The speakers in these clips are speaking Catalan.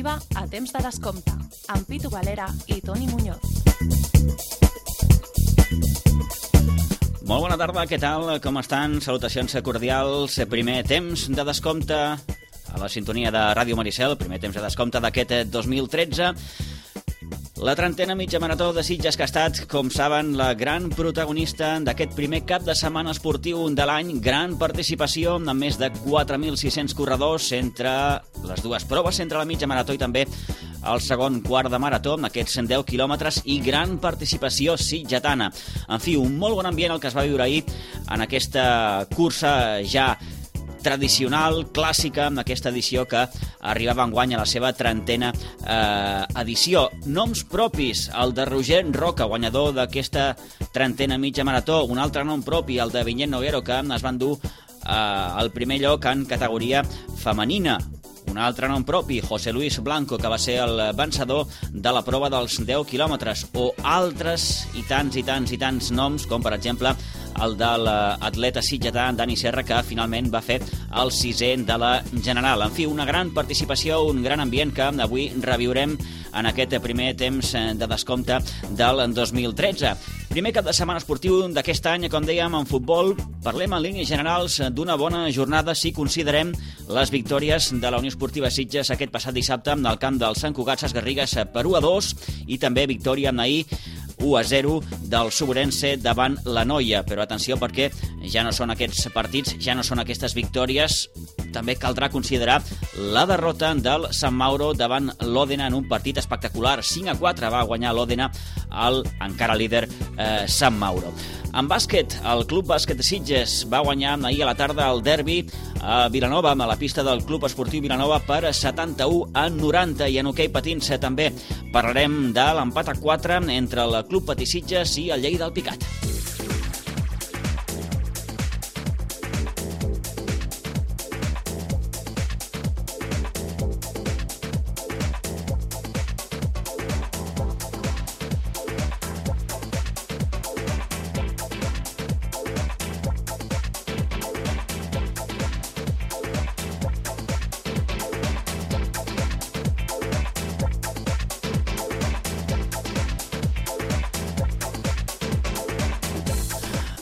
esportiva a temps de descompte, amb Pitu Valera i Toni Muñoz. Molt bona tarda, què tal? Com estan? Salutacions cordials. Primer temps de descompte a la sintonia de Ràdio Maricel, primer temps de descompte d'aquest 2013. La 30ena mitja marató de Sitges, que ha estat, com saben, la gran protagonista d'aquest primer cap de setmana esportiu de l'any. Gran participació, amb més de 4.600 corredors entre les dues proves, entre la mitja marató i també el segon quart de marató, amb aquests 10 quilòmetres, i gran participació sitgetana. En fi, un molt bon ambient el que es va viure ahir en aquesta cursa ja tradicional, clàssica, en aquesta edició que arribava enguany a la seva 30ena edició. Noms propis, el de Roger Roca, guanyador d'aquesta 30ena mitja marató, un altre nom propi, el de Vinyet Noguero, que es van dur al primer lloc en categoria femenina. Un altre nom propi, José Luis Blanco, que va ser el vencedor de la prova dels 10 quilòmetres, o altres i tants noms, com per exemple el de l'atleta sitgetà Dani Serra, que finalment va fer el 6è de la general. En fi, una gran participació, un gran ambient que avui reviurem en aquest primer temps de descompte del 2013. Primer cap de setmana esportiu d'aquest any, com dèiem, en futbol. Parlem en línies generals d'una bona jornada si considerem les victòries de la Unió Esportiva Sitges aquest passat dissabte en el camp del Sant Cugat Ses Garrigues per 1-2 i també victòria ahir 1-0 del Suburense davant la Noia. Però atenció, perquè ja no són aquests partits, ja no són aquestes victòries. També caldrà considerar la derrota del Sant Mauro davant l'Òdena en un partit espectacular. 5-4 va guanyar l'Òdena al encara líder Sant Mauro. En bàsquet, el Club Bàsquet de Sitges va guanyar ahir a la tarda el derbi a Vilanova, a la pista del Club Esportiu Vilanova, per 71-90. I en hoquei patins també parlarem de l'empat a 4 entre el Club Patí Sitges i el Lleida Alpicat.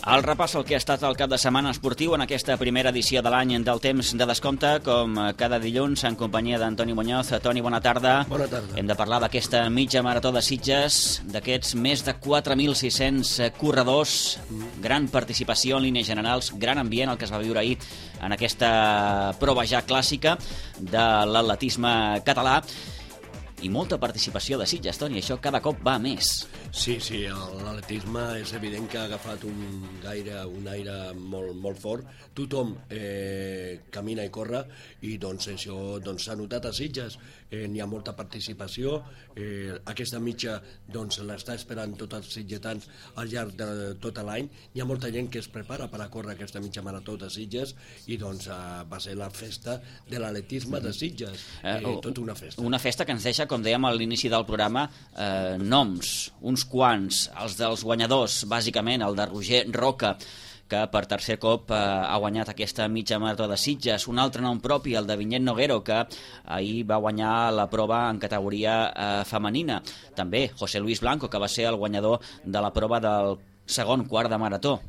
El repàs al que ha estat el cap de setmana esportiu en aquesta primera edició de l'any del temps de descompte, com cada dilluns, en companyia d'Antoni Muñoz. Toni, bona tarda. Bona tarda. Hem de parlar d'aquesta mitja marató de Sitges, d'aquests més de 4.600 corredors, gran participació en línies generals, gran ambient el que es va viure ahir en aquesta prova ja clàssica de l'atletisme català. I molta participació de Sitges, Toni, això cada cop va més. Sí, l'atletisme és evident que ha agafat un aire molt fort. Tothom camina i corre i doncs això s'ha notat a Sitges. N'hi ha molta participació. Aquesta mitja l'està esperant tots els sitgetans al llarg de tot l'any. Hi ha molta gent que es prepara per a córrer aquesta mitja marató de Sitges i va ser la festa de l'atletisme de Sitges. Tota una festa. Una festa que ens deixa, com dèiem a l'inici del programa, noms, uns quants, els dels guanyadors, bàsicament el de Roger Roca, que per tercer cop ha guanyat aquesta mitja marató de Sitges. Un altre nom propi, el de Vinyet Noguero, que ahir va guanyar la prova en categoria femenina. També José Luis Blanco, que va ser el guanyador de la prova del segon quart de marató.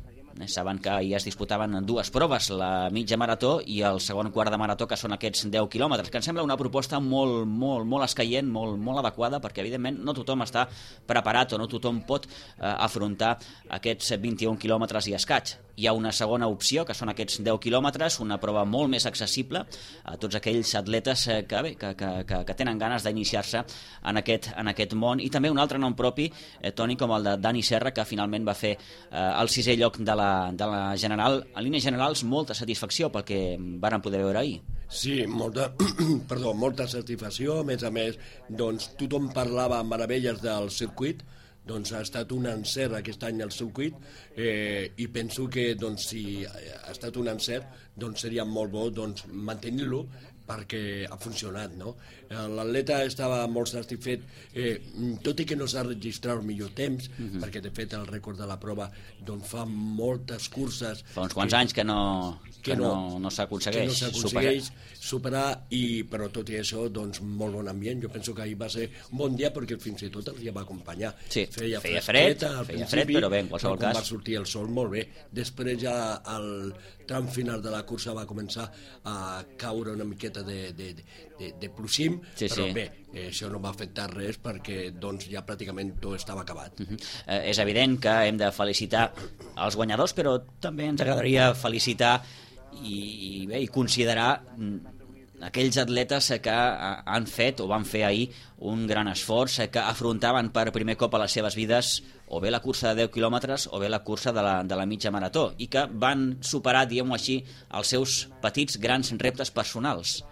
Saben que ahir es disputaven dues proves, la mitja marató i el segon quart de marató, que són aquests 10 quilòmetres, que em sembla una proposta molt escaient, molt adequada, perquè evidentment no tothom està preparat o no tothom pot afrontar aquests 21 quilòmetres i escaig. Hi ha una segona opció, que són aquests 10 quilòmetres, una prova molt més accessible a tots aquells atletes que tenen ganes d'iniciar-se en aquest món. I també un altre nom propi, Toni, com el de Dani Serra, que finalment va fer el 6è lloc de la general. En línies generals, molta satisfacció pel que varen poder veure ahir. Sí, molta satisfacció. A més, tothom parlava meravelles del circuit. Ha estat un encert aquest any al circuit i penso que si ha estat un encert seria molt bo mantenir-lo perquè ha funcionat, no? L'atleta estava molt satisfet, tot i que no s'ha registrat el millor temps, perquè de fet el rècord de la prova doncs fa moltes curses... Fa uns quants anys que no s'aconsegueix superar, però tot i això, doncs, molt bon ambient. Jo penso que ahir va ser un bon dia perquè fins i tot el dia va acompanyar. Sí, feia fred, però bé, en qualsevol cas. Va sortir el sol molt bé. Després ja al tram final de la cursa va començar a caure una miqueta de ploixim, però bé, això no va afectar res perquè doncs, ja pràcticament tot estava acabat. És evident que hem de felicitar els guanyadors, però també ens agradaria felicitar i considerar aquells atletes que han fet o van fer ahir un gran esforç, que afrontaven per primer cop a les seves vides o bé la cursa de 10 quilòmetres o bé la cursa de la mitja marató, i que van superar, diguem-ho així, els seus petits grans reptes personals.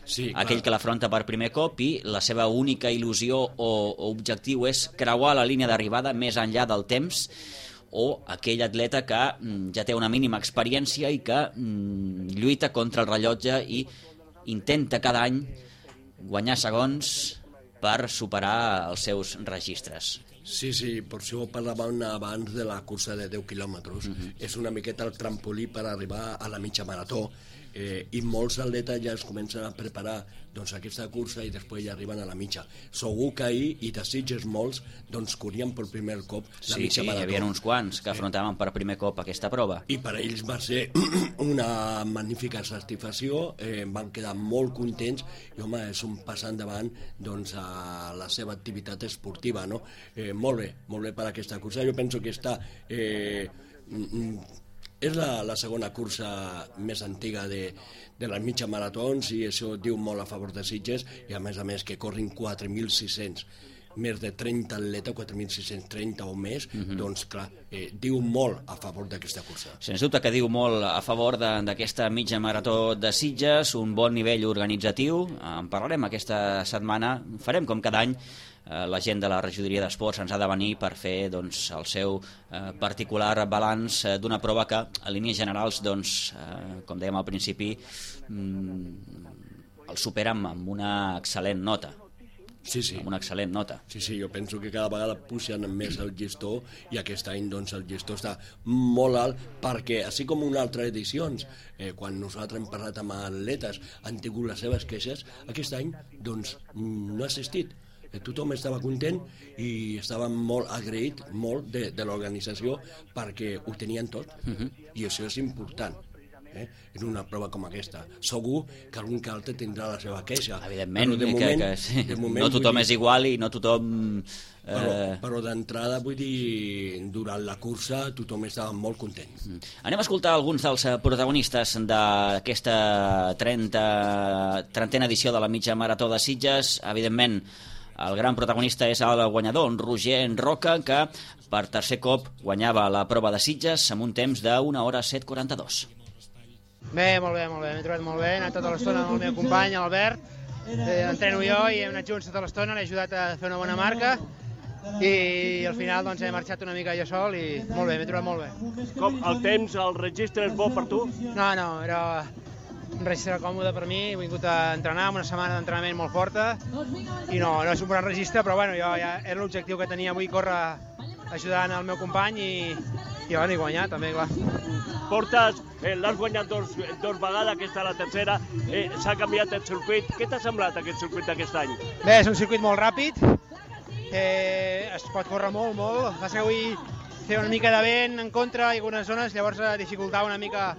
Sí, aquell que l'afronta per primer cop i la seva única il·lusió o objectiu és creuar la línia d'arribada més enllà del temps, o aquell atleta que ja té una mínima experiència i que lluita contra el rellotge i intenta cada any guanyar segons per superar els seus registres. Sí, per això parlàvem abans de la cursa de 10 quilòmetres. És una miqueta el trampolí per arribar a la mitja marató, i molts atletes ja es comencen a preparar doncs, aquesta cursa i després ja arriben a la mitja. Segur que ahir, i de Sitges molts, doncs corrien per primer cop la mitja marató. Sí, hi havia uns quants que afrontaven per primer cop aquesta prova. I per ells va ser una magnífica satisfacció, van quedar molt contents i, home, és un pas endavant doncs, a la seva activitat esportiva, no? Molt bé per aquesta cursa. Jo penso que està... és la segona cursa més antiga de les mitja maratons i això diu molt a favor de Sitges, i a més que corrin 4.600, més de 30 atletes, 4.630 o més, doncs clar, diu molt a favor d'aquesta cursa. Sens dubte que diu molt a favor d'aquesta mitja marató de Sitges, un bon nivell organitzatiu. En parlarem aquesta setmana, farem com cada any. La gent de la regidoria d'esports ens ha de venir per fer doncs, el seu particular balanç d'una prova que, a línies generals, doncs, com dèiem al principi, el supera amb una excel·lent nota. Sí. Amb una excel·lent nota. Sí, jo penso que cada vegada pugen més el llistó i aquest any doncs, el llistó està molt alt perquè, així com en altres edicions, quan nosaltres hem parlat amb atletes han tingut les seves queixes, aquest any doncs, no ha assistit. Tothom estava content i estava molt agraït de l'organització perquè ho tenien tot, i això és important. En una prova com aquesta segur que algun que altre tindrà la seva queixa, evidentment, de moment, no tothom és igual i no tothom però d'entrada, vull dir, durant la cursa tothom estava molt content. Anem a escoltar alguns dels protagonistes d'aquesta 30a edició de la mitja marató de Sitges. Evidentment, el gran protagonista és el guanyador, en Roger Roca, que per tercer cop guanyava la prova de Sitges amb un temps de 1 hora 7:42. Bé, molt bé, m'he trobat molt bé, he anat tota l'estona amb el meu company, l'Albert, entreno jo i hem anat junts tota l'estona, l'he ajudat a fer una bona marca i al final doncs, he marxat una mica jo sol i molt bé, m'he trobat molt bé. Com el temps, el registre és bo per tu? No, era un registre còmode per mi, he vingut a entrenar amb una setmana d'entrenament molt forta i no és un gran registre, però bueno, jo ja era l'objectiu que tenia avui, córrer ajudant el meu company i guanyar també, clar. L'has guanyat dos vegades, aquesta la tercera, s'ha canviat el circuit. Què t'ha semblat aquest circuit d'aquest any? Bé, és un circuit molt ràpid, es pot córrer molt, va ser avui fer una mica de vent en contra i algunes zones, llavors dificultava una mica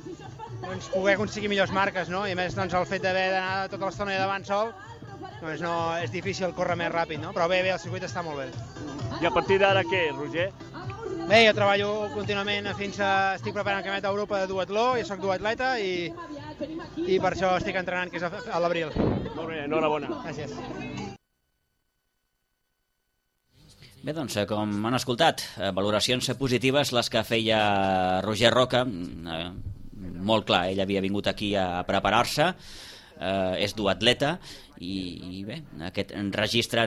doncs, poder aconseguir millors marques, no? I a més doncs, el fet d'haver d'anar tota l'estona davant sol, doncs no, és difícil córrer més ràpid, no? Però bé, el circuit està molt bé. I a partir d'ara què, Roger? Bé, jo treballo contínuament fins a... Estic preparant el Campionat d'Europa de duatló, jo soc duatleta i per això estic entrenant, que és a l'abril. Molt bé, enhorabona. Gràcies. Bé, doncs, com han escoltat, valoracions positives les que feia Roger Roca. Molt clar, ell havia vingut aquí a preparar-se, és duatleta i bé, aquest registre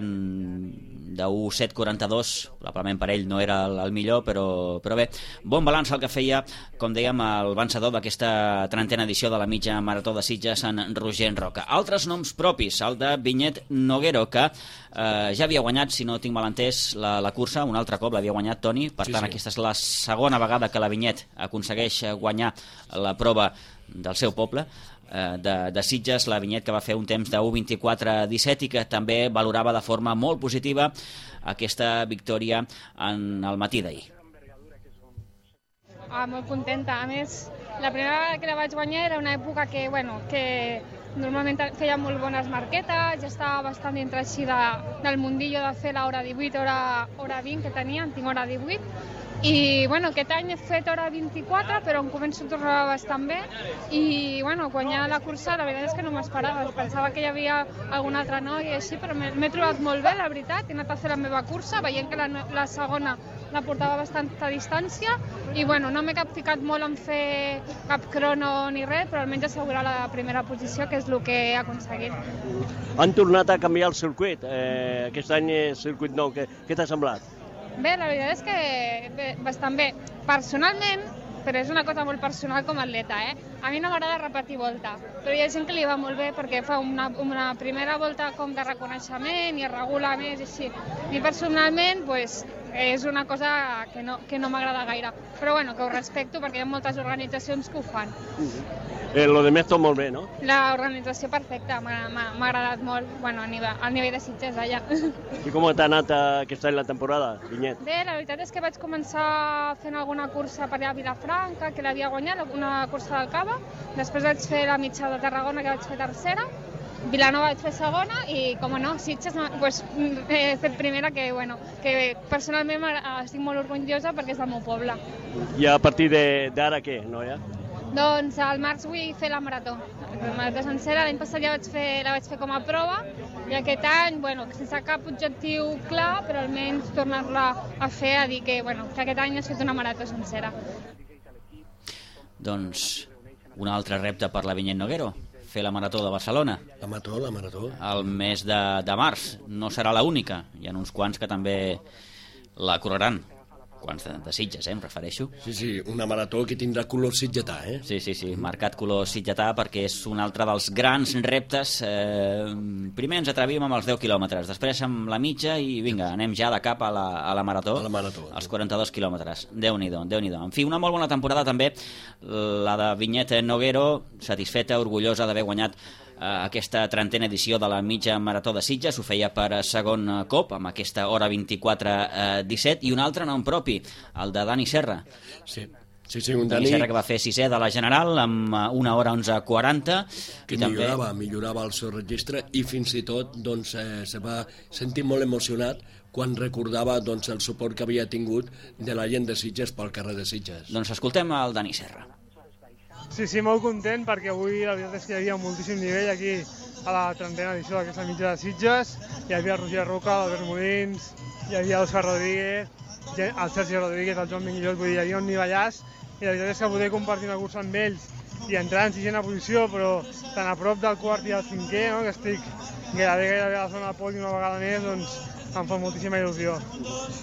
de 1:7:42, probablement per ell no era el millor, però bé, bon balanç el que feia, com dèiem, el vencedor d'aquesta 30a edició de la mitja marató de Sitges, en Roger Roca. Altres noms propis, el de Vinyet Noguero, que ja havia guanyat, si no tinc mal entès, la cursa, un altre cop l'havia guanyat Toni, per tant aquesta és la segona vegada que la Vinyet aconsegueix guanyar la prova del seu poble, de Sitges, la Vinyet, que va fer un temps de 1:24:17 i que també valorava de forma molt positiva aquesta victòria en el matí d'ahir. Molt contenta. A més, la primera vegada que la vaig guanyar era una època que normalment feia molt bones marquetes, ja estava bastant dintre així del mundillo de fer l'hora 18, hora 20 que tenia, en tinc hora 18, i aquest any he fet hora 24, però em començo a tornar bastant bé, i guanyar la cursa la veritat és que no m'esperava, pensava que hi havia algun altre noi i així, però m'he trobat molt bé, la veritat, he anat a fer la meva cursa, veient que la segona la portava bastanta distància i no m'he ficat molt en fer cap crono ni res, però almenys assegurar la primera posició, que és el que he aconseguit. Han tornat a canviar el circuit, aquest any és circuit nou, què t'ha semblat? Bé, la veritat és que bastant bé. Personalment, però és una cosa molt personal com a atleta, a mi no m'agrada repetir volta, però hi ha gent que li va molt bé perquè fa una primera volta com de reconeixement i es regula més i així. A mi personalment és una cosa que no m'agrada gaire, però que ho respecto perquè hi ha moltes organitzacions que ho fan. Lo de més tot molt bé, no? L'organització perfecta, m'ha agradat molt, al nivell de Sitges allà. I com t'ha anat aquest any la temporada, Vinyet? Bé, la veritat és que vaig començar fent alguna cursa per allà a Vilafranca, que l'havia guanyat, una cursa del Cava, després vaig fer la mitja de Tarragona, que vaig fer tercera, Vilanova vaig fer segona i, com no, Sitges he fet primera, que personalment estic molt orgullosa perquè és del meu poble. I a partir d'ara què, noia? Doncs al març vull fer la marató sencera. L'any passat ja la vaig fer com a prova i aquest any, sense cap objectiu clar, però almenys tornar-la a fer, a dir que aquest any he fet una marató sencera. Doncs un altre repte per la Vinyet Noguero, fer la marató de Barcelona. La marató. El mes de març. No serà l'única. Hi ha uns quants que també la correran. Quants de Sitges, em refereixo. Sí, una marató que tindrà color sitgetà, Sí, marcat color sitgetà, perquè és un altre dels grans reptes. Primer ens atrevíem amb els 10 quilòmetres, després amb la mitja i vinga, anem ja de cap a la marató. Els 42 quilòmetres. Déu-n'hi-do. En fi, una molt bona temporada també, la de Vinyet Noguero, satisfeta, orgullosa d'haver guanyat aquesta 30a edició de la mitja marató de Sitges. Ho feia per segon cop, amb aquesta hora 24:17, i un altre nom propi, el de Dani Serra. Sí, un Dani Serra, que va fer 6è de la General amb 1 hora 11:40, que millorava el seu registre, i fins i tot se va sentir molt emocionat quan recordava el suport que havia tingut de la gent de Sitges pel carrer de Sitges. Doncs escoltem el Dani Serra. Sí, molt content, perquè avui la veritat és que hi havia moltíssim nivell aquí a la 30a edició d'aquesta mitja de Sitges. Hi havia el Roger Roca, l'Albert Molins, hi havia l'Òscar Rodríguez, el Sergi Rodríguez, el Joan Minguillot, vull dir, hi havia un nivellàs, i la veritat és que poder compartir una cursa amb ells i entrar en 6a posició, però tan a prop del quart i del 5è, que estic gairebé a la zona del podi una vegada més, doncs em fa moltíssima il·lusió.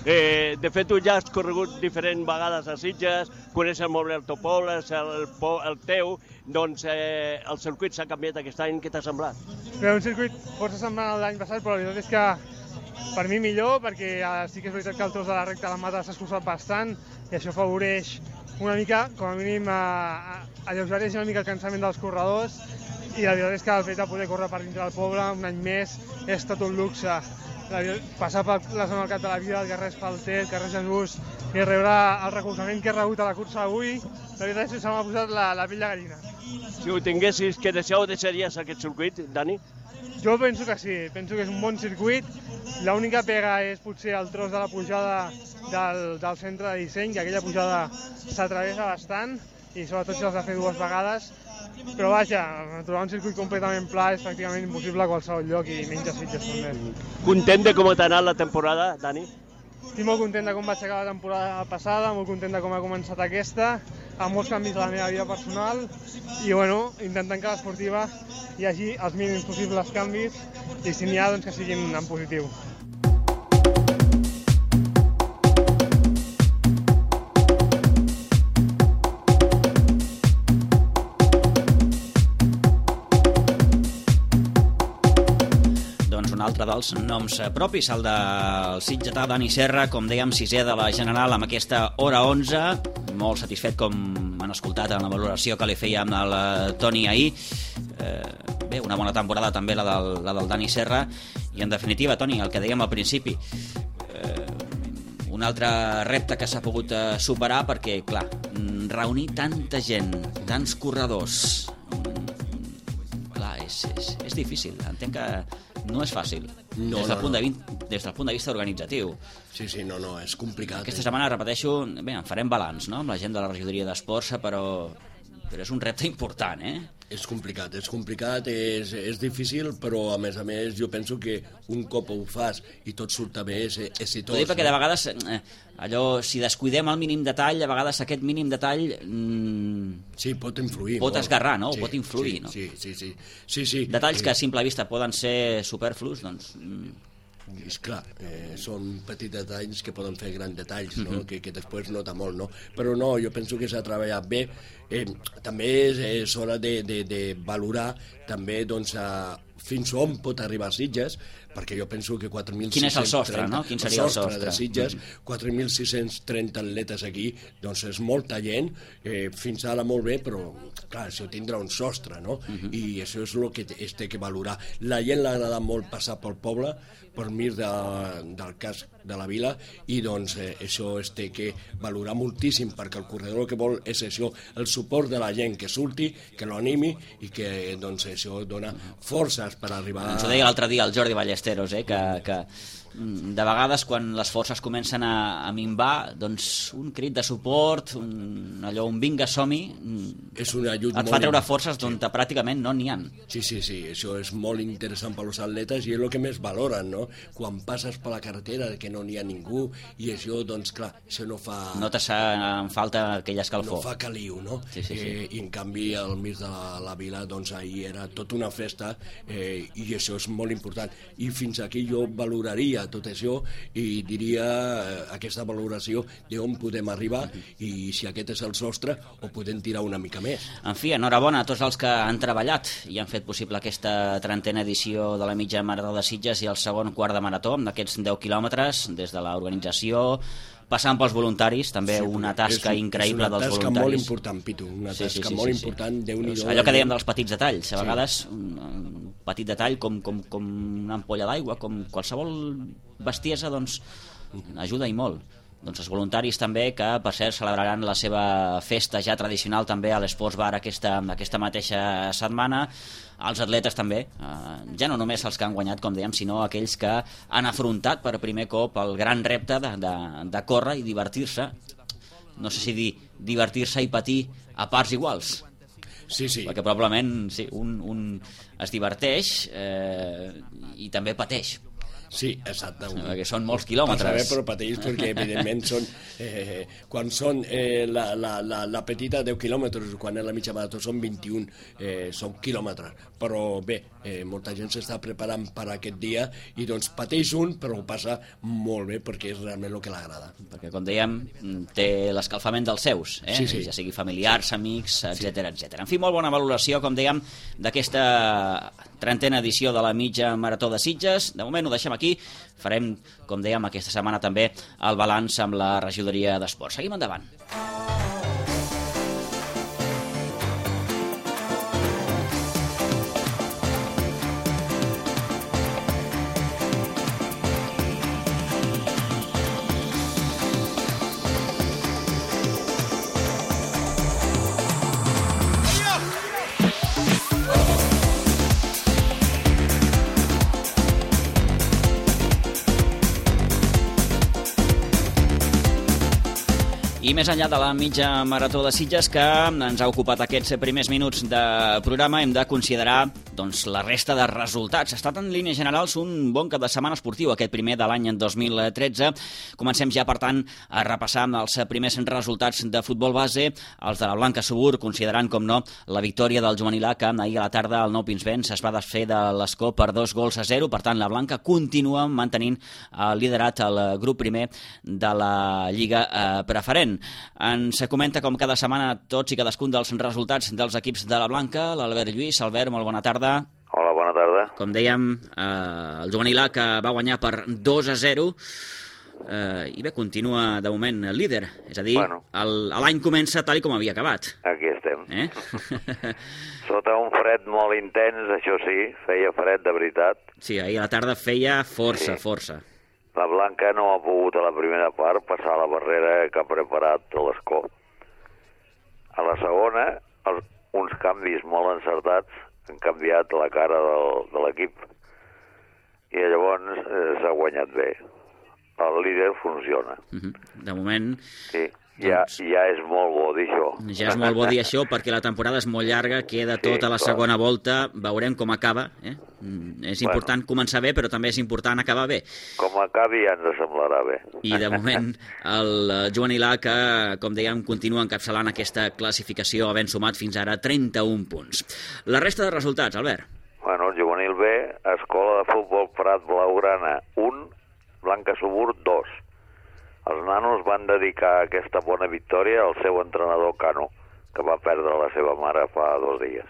De fet, tu ja has corregut diferents vegades a Sitges, coneixes molt bé el teu poble, el teu, doncs el circuit s'ha canviat aquest any, què t'ha semblat? Bé, un circuit força semblant a l'any passat, però la veritat és que per mi millor, perquè sí que és veritat que el tros de la recta a la mata s'ha escurçat bastant i això afavoreix una mica, com a mínim, alleugereix una mica el cansament dels corredors, i la veritat és que el fet de poder córrer per dintre del poble un any més és tot un luxe. Passar per la zona del Cap de la Vila, el carrer Espalter, el carrer Jesús, i rebre el recolzament que he rebut a la cursa d'avui, la veritat és que se m'ha posat la pell de gallina. Si ho tinguessis que deixar, ho deixaries aquest circuit, Dani? Jo penso que sí, penso que és un bon circuit. L'única pega és potser el tros de la pujada del centre de disseny, que aquella pujada s'atravessa bastant, i sobretot si l'has de fer 2 vegades. Però vaja, trobar un circuit completament pla és pràcticament impossible a qualsevol lloc, i menys a Sitges també. Content de com t'ha anat la temporada, Dani? Estic molt content de com vaig acabar la temporada passada, molt content de com ha començat aquesta, amb molts canvis a la meva vida personal, i intentant que l'esportiva hi hagi els mínims possibles canvis, i si n'hi ha, doncs que siguin en positiu. altre dels noms propis, el del sitgetà Dani Serra, com dèiem, 6è de la General amb aquesta hora 11, molt satisfet com han escoltat en la valoració que li feia amb el Toni ahir. Bé, una bona temporada també la del Dani Serra, i en definitiva, Toni, el que dèiem al principi, un altre repte que s'ha pogut superar, perquè, clar, reunir tanta gent, tants corredors, clar, és difícil. Entenc que no és fàcil, des del punt de vista organitzatiu. Sí, no, és complicat. Aquesta setmana, repeteixo, bé, en farem balanç, no?, amb la gent de la regidoria d'Esports, però és un repte important, És complicat, és difícil, però a més jo penso que un cop ho fas i tot surt bé és exitós. T'ho dic perquè de vegades, allò, si descuidem el mínim detall, a vegades aquest mínim detall sí, pot influir. Pot esgarrar, no? Sí, pot influir, no? Sí. Detalls que a simple vista poden ser superflus, doncs... És clar, són petits detalls que poden fer grans detalls, no? que després nota molt, no? Però no, jo penso que s'ha treballat bé. També és hora de valorar també doncs, fins on pot arribar Sitges, perquè jo penso que 4.630... Quin és el sostre, no? Quin seria el sostre de Sitges, 4.630 atletes aquí, doncs és molta gent, fins ara molt bé, però clar, això tindrà un sostre, no? I això és el que es té que valorar. La gent l'ha agradat molt passar pel poble, per mir del casc de la vila, i doncs això es té que valorar moltíssim, perquè el corredor que vol és això, el suport de la gent que surti, que l'animi, i que doncs això dona forces per arribar... Ens ho deia l'altre dia el Jordi Ballesteros, que de vegades quan les forces comencen a minvar, doncs un crit de suport, allò, un vinga, som-hi, és un ajut et fa treure forces d'on pràcticament no n'hi ha. Sí, això és molt interessant per als atletes i és el que més valoren, no? Quan passes per la carretera que no n'hi ha ningú, i això, doncs clar, això no fa... No te en falta aquell escalfor. No fa caliu, no? Sí. I en canvi al mig de la vila, doncs ahir era tota una festa, i això és molt important. I fins aquí jo valoraria tot això i diria aquesta valoració d'on podem arribar i si aquest és el sostre o podem tirar una mica més. En fi, enhorabona a tots els que han treballat i han fet possible aquesta 30a edició de la mitja marató de Sitges i el segon quart de marató, d'aquests 10 quilòmetres, des de l'organització, passant pels voluntaris, també una tasca increïble dels voluntaris. És una tasca molt important, Pitu, una tasca molt important, Déu-n'hi-do. Allò que dèiem dels petits detalls, a vegades un petit detall com una ampolla d'aigua, com qualsevol bestiesa, doncs ajuda i molt. Doncs els voluntaris també, que per cert celebraran la seva festa ja tradicional també a l'Esports Bar aquesta mateixa setmana. Els atletes també, ja no només els que han guanyat, com dèiem, sinó aquells que han afrontat per primer cop el gran repte de córrer i divertir-se. No sé si dir divertir-se i patir a parts iguals. Sí. Perquè probablement un es diverteix i també pateix. Sí, exacte. Perquè són molts quilòmetres. Saber, però pateix perquè, evidentment, quan són la petita 10 quilòmetres, quan és la mitja marató són 21, són quilòmetres. Però bé, molta gent s'està preparant per aquest dia i doncs pateix però ho passa molt bé perquè és realment el que l'agrada. Perquè, com dèiem, té l'escalfament dels seus, Sí. Ja sigui familiars, amics, etc. En fi, molt bona valoració, com dèiem, d'aquesta 30a edició de la mitja marató de Sitges. De moment ho deixem aquí. Farem, com dèiem, aquesta setmana també el balanç amb la regidoria d'Esports. Seguim endavant. I més enllà de la mitja marató de Sitges, que ens ha ocupat aquests primers minuts de programa, hem de considerar doncs, la resta de resultats. Ha estat en línies generals un bon cap de setmana esportiu, aquest primer de l'any 2013. Comencem ja, per tant, a repassar els primers resultats de futbol base, els de la Blanca Subur, considerant, com no, la victòria del juvenil A, que ahir a la tarda el Nou Pinsbens es va desfer de l'Escó per 2-0. Per tant, la Blanca continua mantenint el liderat al grup primer de la Lliga Preferent. Ens comenta, com cada setmana, tots i cadascun dels resultats dels equips de la Blanca. L'Albert Lluís. Albert, molt bona tarda. Hola, bona tarda. Com dèiem, el juvenil A, que va guanyar per 2-0, i bé, continua de moment líder. És a dir, l'any comença tal com havia acabat. Aquí estem. Sota un fred molt intens, això sí, feia fred de veritat. Sí, ahir a la tarda feia força. La Blanca no ha pogut a la primera part passar la barrera que ha preparat l'Escó. A la segona, uns canvis molt encertats han canviat la cara de l'equip. I llavors s'ha guanyat bé. El líder funciona. De moment... Sí, ja és molt bo dir això. Ja és molt bo dir això perquè la temporada és molt llarga, queda tota la segona volta, veurem com acaba. És important començar bé, però també és important acabar bé. Com acabi ja ens semblarà bé. I de moment el juvenil A, que, com dèiem, continua encapçalant aquesta classificació, havent sumat fins ara 31 punts. La resta de resultats, Albert? Bueno, el juvenil B, Escola de Futbol Prat Blaugrana 1, Blanca Subur 2. Els nanos van dedicar aquesta bona victòria al seu entrenador Cano, que va perdre la seva mare fa 2 dies.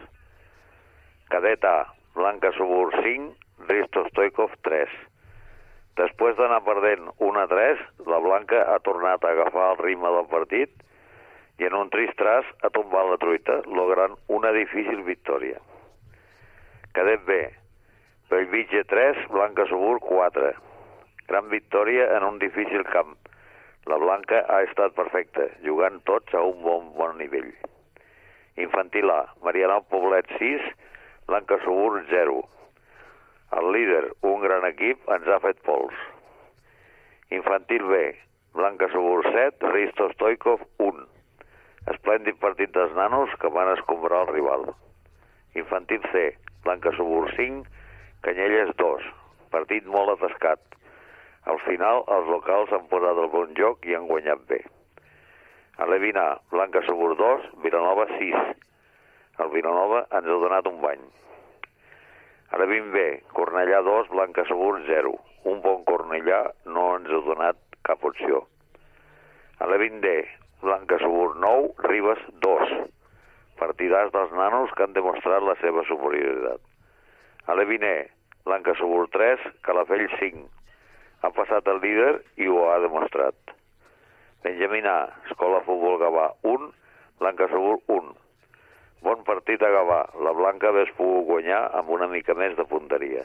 Cadet A, Blanca Subur 5, Risto Stoikov 3. Després d'anar perdent 1-3, la Blanca ha tornat a agafar el ritme del partit i en un trist tras ha tombat la truita, logrant una difícil victòria. Cadet B, Bellvitge 3, Blanca Subur 4. Gran victòria en un difícil camp. La Blanca ha estat perfecta, jugant tots a un bon nivell. Infantil A, Marianao Poblet 6, Blanca Subur 0. El líder, un gran equip, ens ha fet pols. Infantil B, Blanca Subur 7, Risto Stoikov 1. Esplèndid partit dels nanos que van escombrar el rival. Infantil C, Blanca Subur 5, Canyelles 2. Partit molt atascat. Al final, els locals han posat el bon joc i han guanyat bé. A l'Evin A, Blanca Subur 2, Vilanova 6. El Vilanova ens ha donat un bany. A l'Evin B, Cornellà 2, Blanca Subur 0. Un bon Cornellà no ens ha donat cap opció. A l'Evin D, Blanca Subur 9, Ribes 2. Partidars dels nanos que han demostrat la seva superioritat. A l'Evin E, Blanca Subur 3, Calafell 5. Ha passat el líder i ho ha demostrat. Benjamín A, Escola Futbol Gavà 1, Blanca Subur 1. Bon partit a Gavà. La Blanca hauria pogut guanyar amb una mica més de punteria.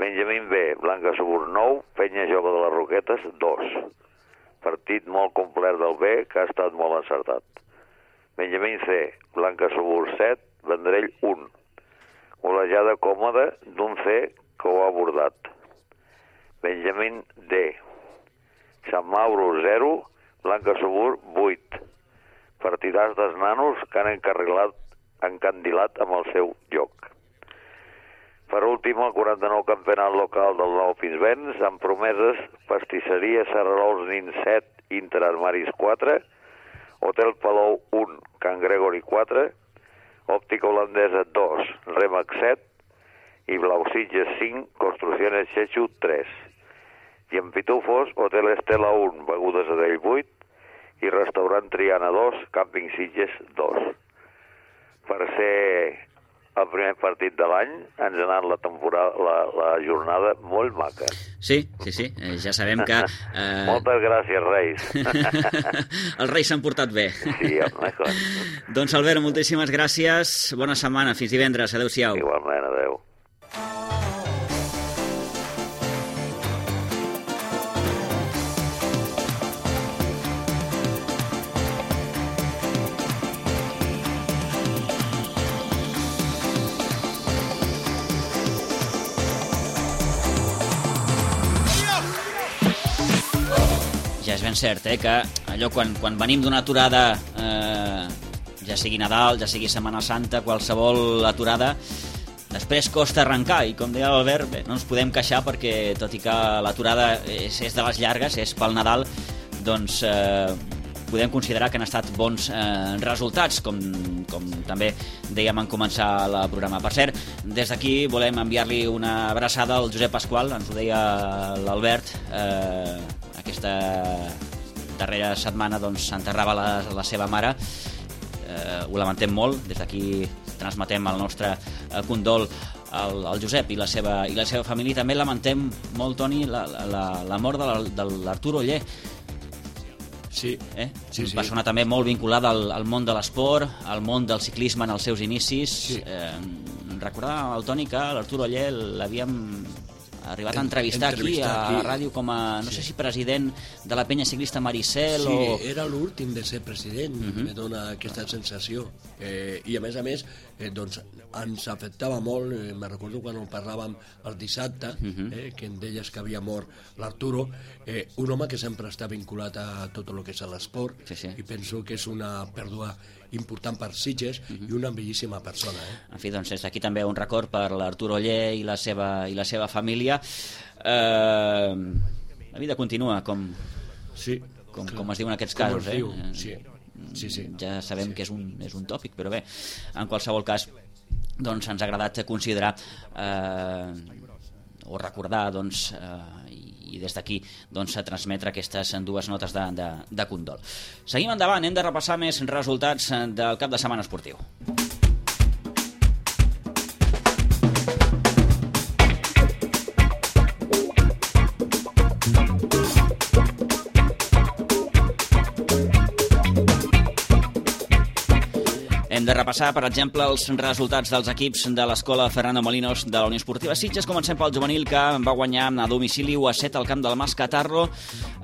Benjamín B, Blanca Subur 9, Penya Jove de les Roquetes 2. Partit molt complet del B que ha estat molt encertat. Benjamín C, Blanca Subur 7, Vendrell 1. Golejada còmoda d'un C que ho ha abordat. Benjamín D, Sant Mauro 0, Blanca Subur 8. Partidars dels nanos que han encandilat amb el seu joc. Per últim, el 49 campionat local del Nou Pinsbens, amb promeses Pastisseria Serrarols Nin 7, Interarmaris 4, Hotel Palou 1, Can Gregori 4, Òptica Holandesa 2, Remax 7 i Blau Sitges 5, Construcciones Xexu 3. I en Pitufos, Hotel Estela 1, Begudes Adell 8 i Restaurant Triana 2, Càmping Sitges 2. Per ser el primer partit de l'any ens ha anat la jornada molt maca. Sí, ja sabem que... Moltes gràcies, Reis. Els Reis s'han portat bé. Sí, home. Doncs, Albert, moltíssimes gràcies. Bona setmana, fins divendres. Adéu-siau. Igualment, adéu. Ja és ben cert, que allò quan venim d'una aturada, ja sigui Nadal, ja sigui Setmana Santa, qualsevol aturada, després costa arrencar, i com deia l'Albert, no ens podem queixar perquè, tot i que l'aturada és de les llargues, és pel Nadal, doncs podem considerar que han estat bons resultats, com també dèiem en començar el programa. Per cert, des d'aquí volem enviar-li una abraçada al Josep Pasqual, ens ho deia l'Albert, aquesta darrera setmana s'enterrava la seva mare. Ho lamentem molt, des d'aquí transmetem el nostre condol el Josep i la seva família. També lamentem molt, Toni, la mort de l'Artur Oller. Sí. Una persona també molt vinculada al món de l'esport, al món del ciclisme en els seus inicis. Sí. Recordar al Toni que l'Artur Oller l'havíem arribat a entrevistar aquí a ràdio com a, no sé si president de la penya ciclista Maricel sí, o... era l'últim de ser president, me dona aquesta sensació. I a més, doncs, ens afectava molt, me recordo quan en parlàvem el dissabte, que em deies que havia mort l'Arturo, un home que sempre està vinculat a tot el que és l'esport, i penso que és una pèrdua important per Sitges i una bellíssima persona. En fi, doncs des d'aquí també un record per l'Artur Oller i la seva família. La vida continua, com es diu en aquests casos. Ja sabem que és un tòpic, però bé, en qualsevol cas doncs ens ha agradat considerar o recordar i des d'aquí transmetre aquestes dues notes de condol. Seguim endavant, hem de repassar més resultats del cap de setmana esportiu. Hem de repassar, per exemple, els resultats dels equips de l'escola Fernando Molinos de la Unió Esportiva Sitges. Comencem pel juvenil, que va guanyar a domicili 1-7 al camp del Mas Catarro.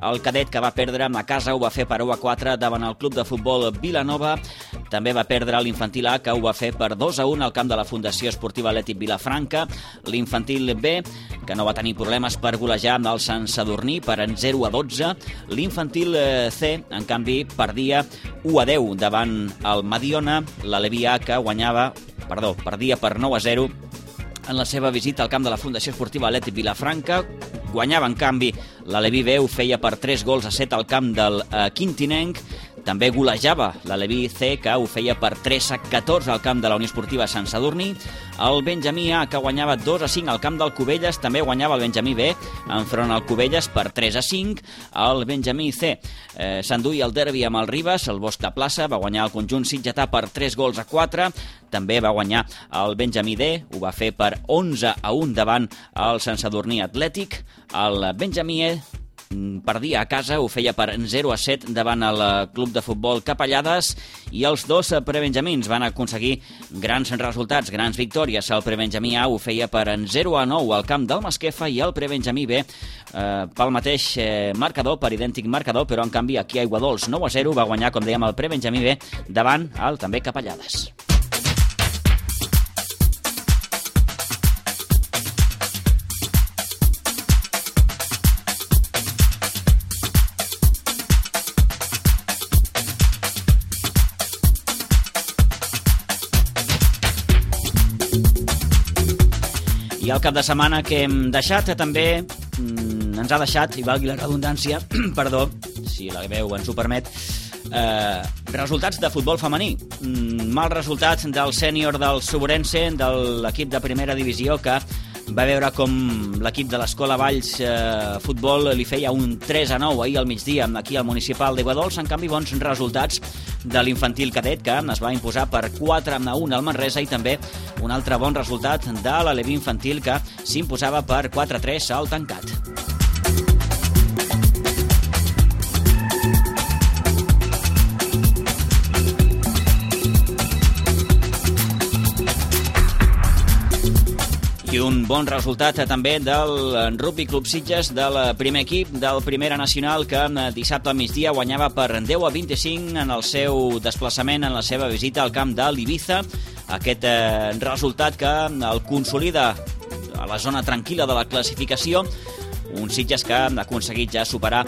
El cadet, que va perdre a casa, ho va fer per 1-4 davant el club de futbol Vilanova. També va perdre l'infantil A, que ho va fer per 2-1 al camp de la Fundació Esportiva Atlètic Vilafranca. L'infantil B, que no va tenir problemes per golejar el Sant Sadurní per 0-12. L'infantil C, en canvi, perdia 1-10 davant el Mediona. La Levi A, que perdia per 9-0 en la seva visita al camp de la Fundació Esportiva Atlètic Vilafranca. Guanyava, en canvi, la Levi B, ho feia per 3-7 al camp del Quintinenc. També golejava la Levi C, que ho feia per 3-14 al camp de la Unió Esportiva Sant Sadurní. El Benjamí A, que guanyava 2-5 al camp del Cubelles, també guanyava el Benjamí B enfront al Cubelles per 3-5. El Benjamí C s'enduia el derbi amb el Ribes, el Bosc de Plaça, va guanyar el conjunt sitgetà per 3-4. També va guanyar el Benjamí D, ho va fer per 11-1 davant el Sant Sadurní Atlètic. El Benjamí E perdia a casa, ho feia per 0-7 davant el club de futbol Capellades, i els dos prebenjamins van aconseguir grans resultats, grans victòries. El prebenjamí A ho feia per 0-9 al camp del Masquefa, i el prebenjamí B pel mateix marcador, per idèntic marcador, però en canvi aquí a Aiguadols 9-0 va guanyar, com dèiem, el prebenjamí B davant el també Capellades. I el cap de setmana que hem deixat també ens ha deixat, i valgui la redundància, perdó, si la veu ens ho permet, resultats de futbol femení. Mal resultat del sènior del Soborense, de l'equip de primera divisió, que va veure com l'equip de l'Escola Valls Futbol li feia un 3-9 ahir al migdia aquí al municipal d'Aiguadols. En canvi, bons resultats de l'infantil cadet, que es va imposar per 4-1 al Manresa, i també un altre bon resultat de l'Aleví infantil, que s'imposava per 4-3 al Tancat. I un bon resultat també del Rugby Club Sitges, del primer equip del Primera Nacional, que dissabte al migdia guanyava per 10-25 en el seu desplaçament, en la seva visita al camp de l'Ibiza. Aquest resultat que el consolida a la zona tranquil·la de la classificació. Un Sitges que ha aconseguit ja superar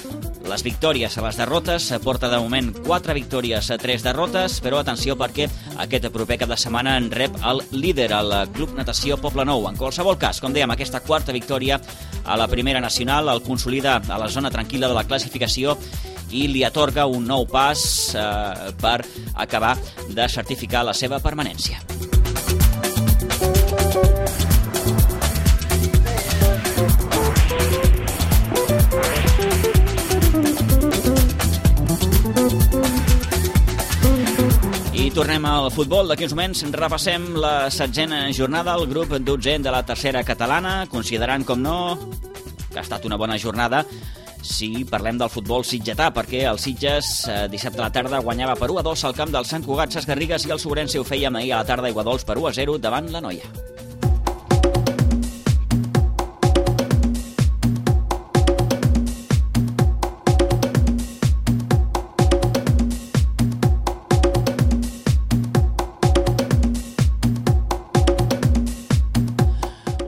les victòries a les derrotes. Porta de moment 4 victòries a 3 derrotes, però atenció, perquè aquest proper cap de setmana en rep el líder, el Club Natació Poblenou. En qualsevol cas, com dèiem, aquesta quarta victòria a la Primera Nacional el consolida a la zona tranquil·la de la classificació i li atorga un nou pas per acabar de certificar la seva permanència. tornem al futbol. D'aquí uns moments repassem la 16a jornada, el grup 12è de la tercera catalana, considerant, com no, que ha estat una bona jornada si parlem del futbol sitgetà, perquè el Sitges dissabte a la tarda guanyava per 1-2 al camp del Sant Cugat Sesgarrigues i el Sobrense ho feia ahir a la tarda a Iguadols per 1-0 davant la Noia.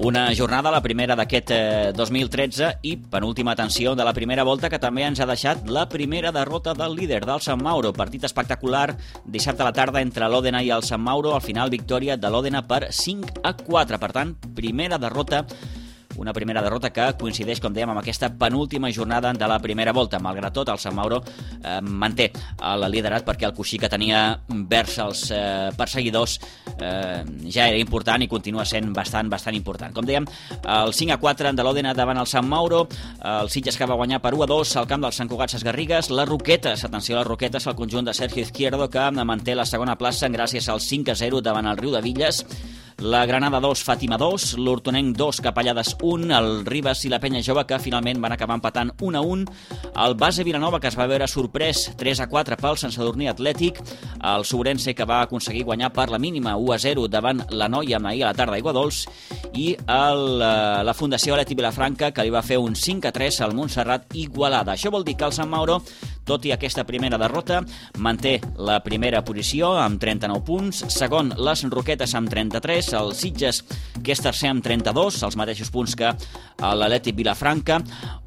Una jornada, la primera d'aquest 2013 i penúltima tensió de la primera volta, que també ens ha deixat la primera derrota del líder, del Sant Mauro. Partit espectacular dissabte a la tarda entre l'Òdena i el Sant Mauro. Al final, victòria de l'Òdena per 5-4. Per tant, una primera derrota que coincideix, com dèiem, amb aquesta penúltima jornada de la primera volta. Malgrat tot, el Sant Mauro manté el liderat perquè el coixí que tenia vers els perseguidors ja era important i continua sent bastant important. Com dèiem, el 5-4 de l'Òdena davant el Sant Mauro, el Sitges que va guanyar per 1-2 al camp del Sant Cugat Sesgarrigues, les Roquetes, atenció a les Roquetes, el conjunt de Sergio Izquierdo, que manté la segona plaça gràcies al 5-0 davant el Riudevilles. La Granada 2, Fàtima 2, l'Hortonenc 2, Capellades 1, el Ribes i la Penya Jove, que finalment van acabar empatant 1-1, el Base Vilanova, que es va veure sorprès 3-4 pel Sant Sadurní Atlètic, el Sobrense, que va aconseguir guanyar per la mínima 1-0 davant la Noia ahir a la tarda a Iguadols, i la Fundació Aleti Vilafranca, que li va fer un 5-3 al Montserrat Igualada. Això vol dir que el Sant Mauro, tot i aquesta primera derrota, manté la primera posició amb 39 punts, segon les Roquetes amb 33, el Sitges, que és tercer amb 32, els mateixos punts que l'Atlètic Vilafranca,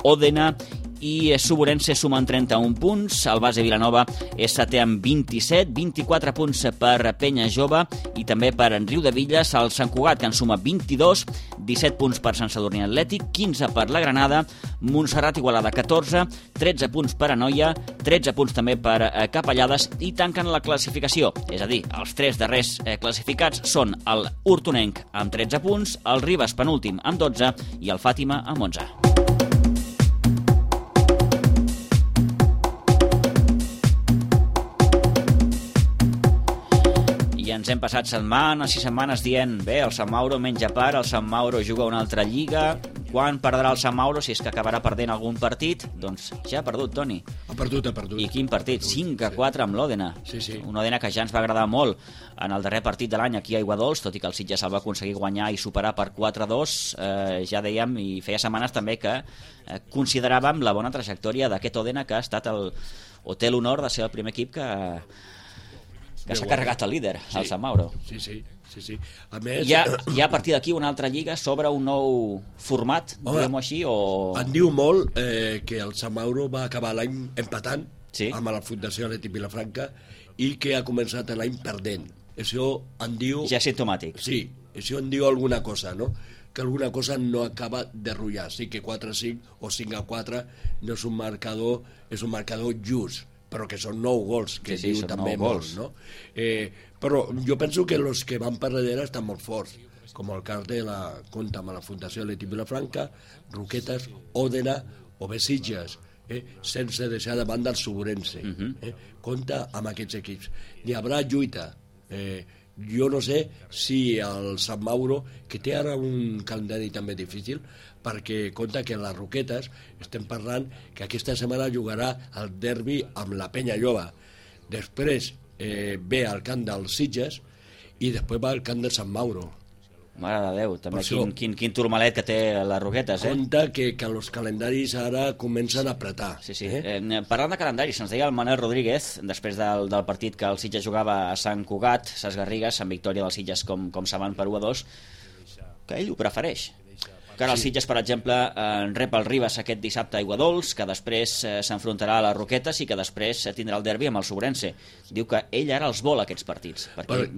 Òdena i Sobrense sumen 31 punts, el Base Vilanova és setè amb 27, 24 punts per Penya Jove i també per Riudevilles, el Sant Cugat, que en suma 22, 17 punts per Sant Sadurní Atlètic, 15 per la Granada, Montserrat Igualada 14, 13 punts per Anoia, 13 punts també per Capellades i tanquen la classificació, és a dir, els tres darrers classificats són el Hortonenc amb 13 punts, el Ribes penúltim amb 12 i el Fàtima amb 11. Ens hem passat setmanes i setmanes dient el Sant Mauro menja part, el Sant Mauro juga una altra lliga, quan perdrà el Sant Mauro, si és que acabarà perdent algun partit? Doncs ja ha perdut, Toni. Ha perdut. I quin partit? 5-4 amb l'Òdena. Sí. Un Òdena que ja ens va agradar molt en el darrer partit de l'any aquí a Iguadols, tot i que el Sitges el va aconseguir guanyar i superar per 4-2, ja dèiem, i feia setmanes també que consideràvem la bona trajectòria d'aquest Òdena, que ha estat o té l'honor de ser el primer equip que s'ha carregat el líder, el Sant Mauro. Sí. A més... Hi ha a partir d'aquí una altra lliga sobre un nou format, diguem-ho així, o... En diu molt que el Sant Mauro va acabar l'any empatant amb la Fundació Aleti Vilafranca i que ha començat l'any perdent. Això en diu... Ja és simptomàtic. Sí, això en diu alguna cosa, no? Que alguna cosa no acaba de rotllar. Sí que 4-5 o 5-4 no és un marcador, és un marcador just, però que són 9 gols, que diu també molt, no? Però jo penso que els que van per darrere estan molt forts, com el cas de la compta amb la Fundació Aleti Vilafranca, Roquetes, Òdena o Sitges, sense deixar de banda el Sobrense. Compta amb aquests equips. Hi haurà lluita. Jo no sé si el Sant Mauro, que té ara un calendari també difícil, perquè compta que les Roquetes estem parlant que aquesta setmana jugarà el derbi amb la Penya Jove. Després ve al camp dels Sitges i després va al camp de Sant Mauro. Mare de Déu, també quin turmalet que té les Roquetes, Compte que els calendaris ara comencen a apretar. Sí. Parlant de calendaris, ens deia el Manel Rodríguez, després del partit que el Sitges jugava a Sant Cugat, Sesgarrigues, amb victòria dels Sitges com saben per 1-2, que ell ho prefereix. Que ara el Sitges, per exemple, rep el Ribes aquest dissabte a Iguadols, que després s'enfrontarà a les Roquetes i que després tindrà el derbi amb el Sobrense. Diu que ell ara els vol, aquests partits, perquè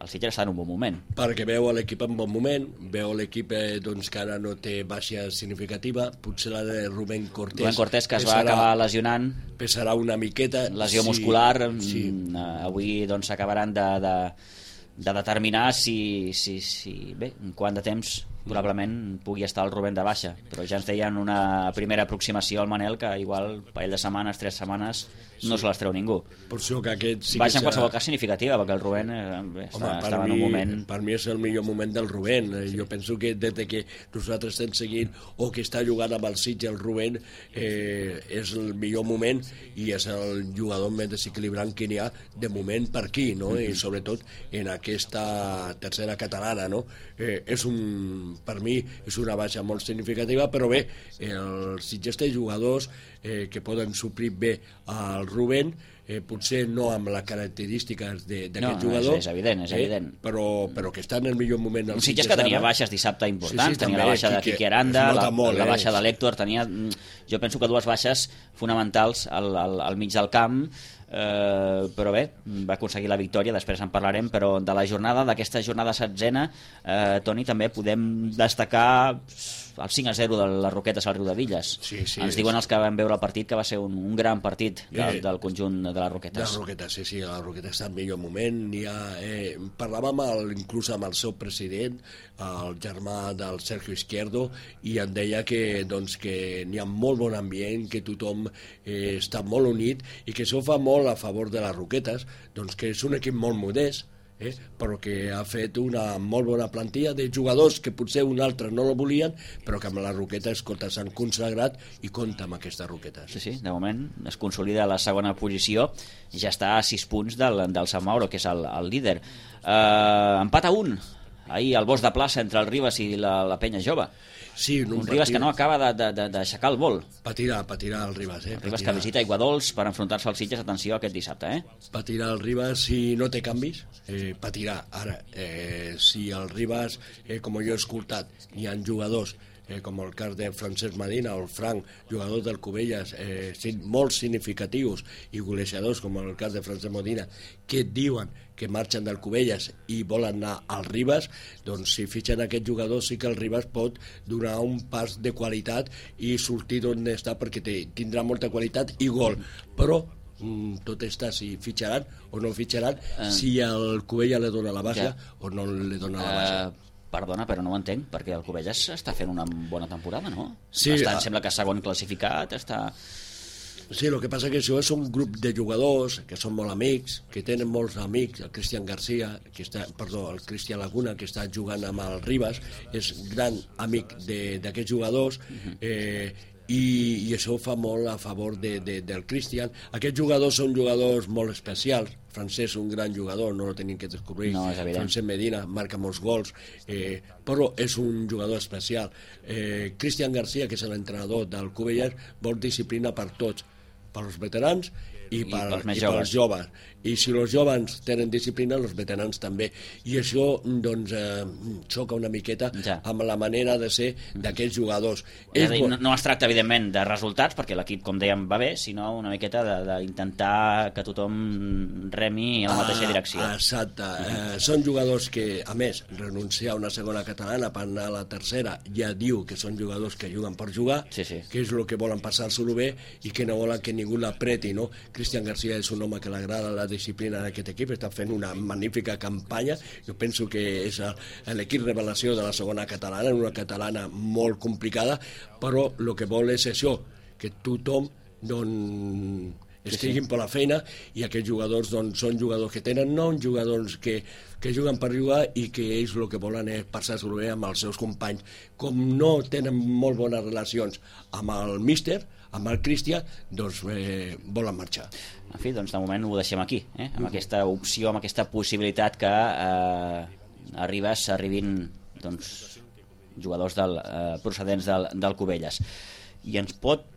el Sitges està en un bon moment. Perquè veu l'equip en bon moment, veu l'equip que ara no té baixa significativa, potser la de Rubén Cortés... Rubén Cortés, que es va acabar lesionant. Pesarà una miqueta. Lesió muscular. Avui s'acabaran de determinar si bé, en quant de temps probablement pugui estar el Rubén de baixa, però ja ens deien una primera aproximació al Manel que igual un parell de setmanes, 3 setmanes no se les treu ningú. Per això que aquest sí baixa que en qualsevol cas significativa, perquè el Rubén estava en un moment... Per mi és el millor moment del Rubén. Jo penso que des que nosaltres estem seguint o que està jugant amb el Sitges el Rubén és el millor moment i és el jugador més desequilibrant que n'hi ha de moment per aquí, no? I sobretot en aquesta tercera catalana, no? Per mi és una baixa molt significativa, però bé, el Sitges té jugadors que poden suplir bé al Rubén, potser no amb les característiques d'aquest jugador, és evident, però que està en el millor moment. Un Sitges que tenia baixes dissabte importants, tenia la baixa de Quique Aranda, la baixa de l'Héctor, tenia, jo penso que 2 baixes fonamentals al mig del camp, però bé, va aconseguir la victòria, després en parlarem, però de la jornada, d'aquesta jornada 16ena, Toni, també podem destacar el 5-0 de les Roquetes al Riu de Villes. Ens diuen els que vam veure el partit que va ser un gran partit del conjunt de les Roquetes. De les Roquetes, sí, les Roquetes està en millor moment. Parlàvem inclús amb el seu president, el germà del Sergio Izquierdo, i em deia que n'hi ha molt bon ambient, que tothom està molt unit i que això fa molt a favor de les Roquetes, que és un equip molt modest, però que ha fet una molt bona plantilla de jugadors que potser un altre no la volien, però que amb les Roquetes s'han consagrat i compta amb aquestes Roquetes. Sí, de moment es consolida la segona posició i ja està a 6 punts del Sant Mauro, que és el líder. Empat a 1 ahir al Bosc de Plaça entre el Ribes i la Penya Jove. Sí, un Ribes que no acaba d'aixecar el vol. Patirà el Ribes. El Ribes que visita Aiguadols per enfrontar-se als Sitges, atenció, aquest dissabte. Patirà el Ribes si no té canvis, patirà. Ara, si el Ribes, com jo he escoltat, hi ha jugadors com el cas de Francesc Medina o el Frank, jugadors del Cubelles molt significatius i golejadors com el cas de Francesc Medina, que diuen que marxen del Cubelles i volen anar al Ribes, doncs si fitxen aquest jugador sí que el Ribes pot donar un pas de qualitat i sortir d'on està, perquè tindrà molta qualitat i gol, però tot està si fitxaran o no fitxaran, si el Cubelles le dona la baixa o no le dona la baixa. Perdona, però no ho entenc, perquè el Cubelles està fent una bona temporada, no? Sí, em sembla que segon classificat, està... Sí, el que passa que això és un grup de jugadors que són molt amics, que tenen molts amics, el Cristian Garcia, el Cristian Laguna, que està jugant amb el Ribes, és gran amic d'aquests jugadors, i això fa molt a favor del Cristian. Aquests jugadors són jugadors molt especials. Francesc, un gran jugador, no lo tenim que descobrir. No, és evident. Francesc Medina marca molts gols, però és un jugador especial. Cristian Garcia, que és l'entrenador del Cubelles, vol disciplina per tots, pels veterans i pels joves. I si els joves tenen disciplina, els veterans també. I això, doncs, xoca una miqueta amb la manera de ser d'aquests jugadors. No es tracta, evidentment, de resultats, perquè l'equip, com dèiem, va bé, sinó una miqueta d'intentar que tothom remi en la mateixa direcció. Exacte. Són jugadors que, a més, renunciar a una segona catalana per anar a la tercera ja diu que són jugadors que juguen per jugar, que és el que volen passar-se-lo bé i que no volen que ningú l'apreti, no? Cristian Garcia és un home que l'agrada la disciplina d'aquest equip, està fent una magnífica campanya. Jo penso que és l'equip revelació de la segona catalana, una catalana molt complicada, però el que vol és això, que tothom estiguin per la feina, i aquests jugadors són jugadors que tenen nom, jugadors que juguen per jugar i que ells el que volen és passar-s'ho bé amb els seus companys. Com no tenen molt bones relacions amb el míster, amb el Cristian, doncs volen marxar. En fi, doncs de moment ho deixem aquí, amb aquesta opció, amb aquesta possibilitat que arribin jugadors procedents del Cubelles. I ens pot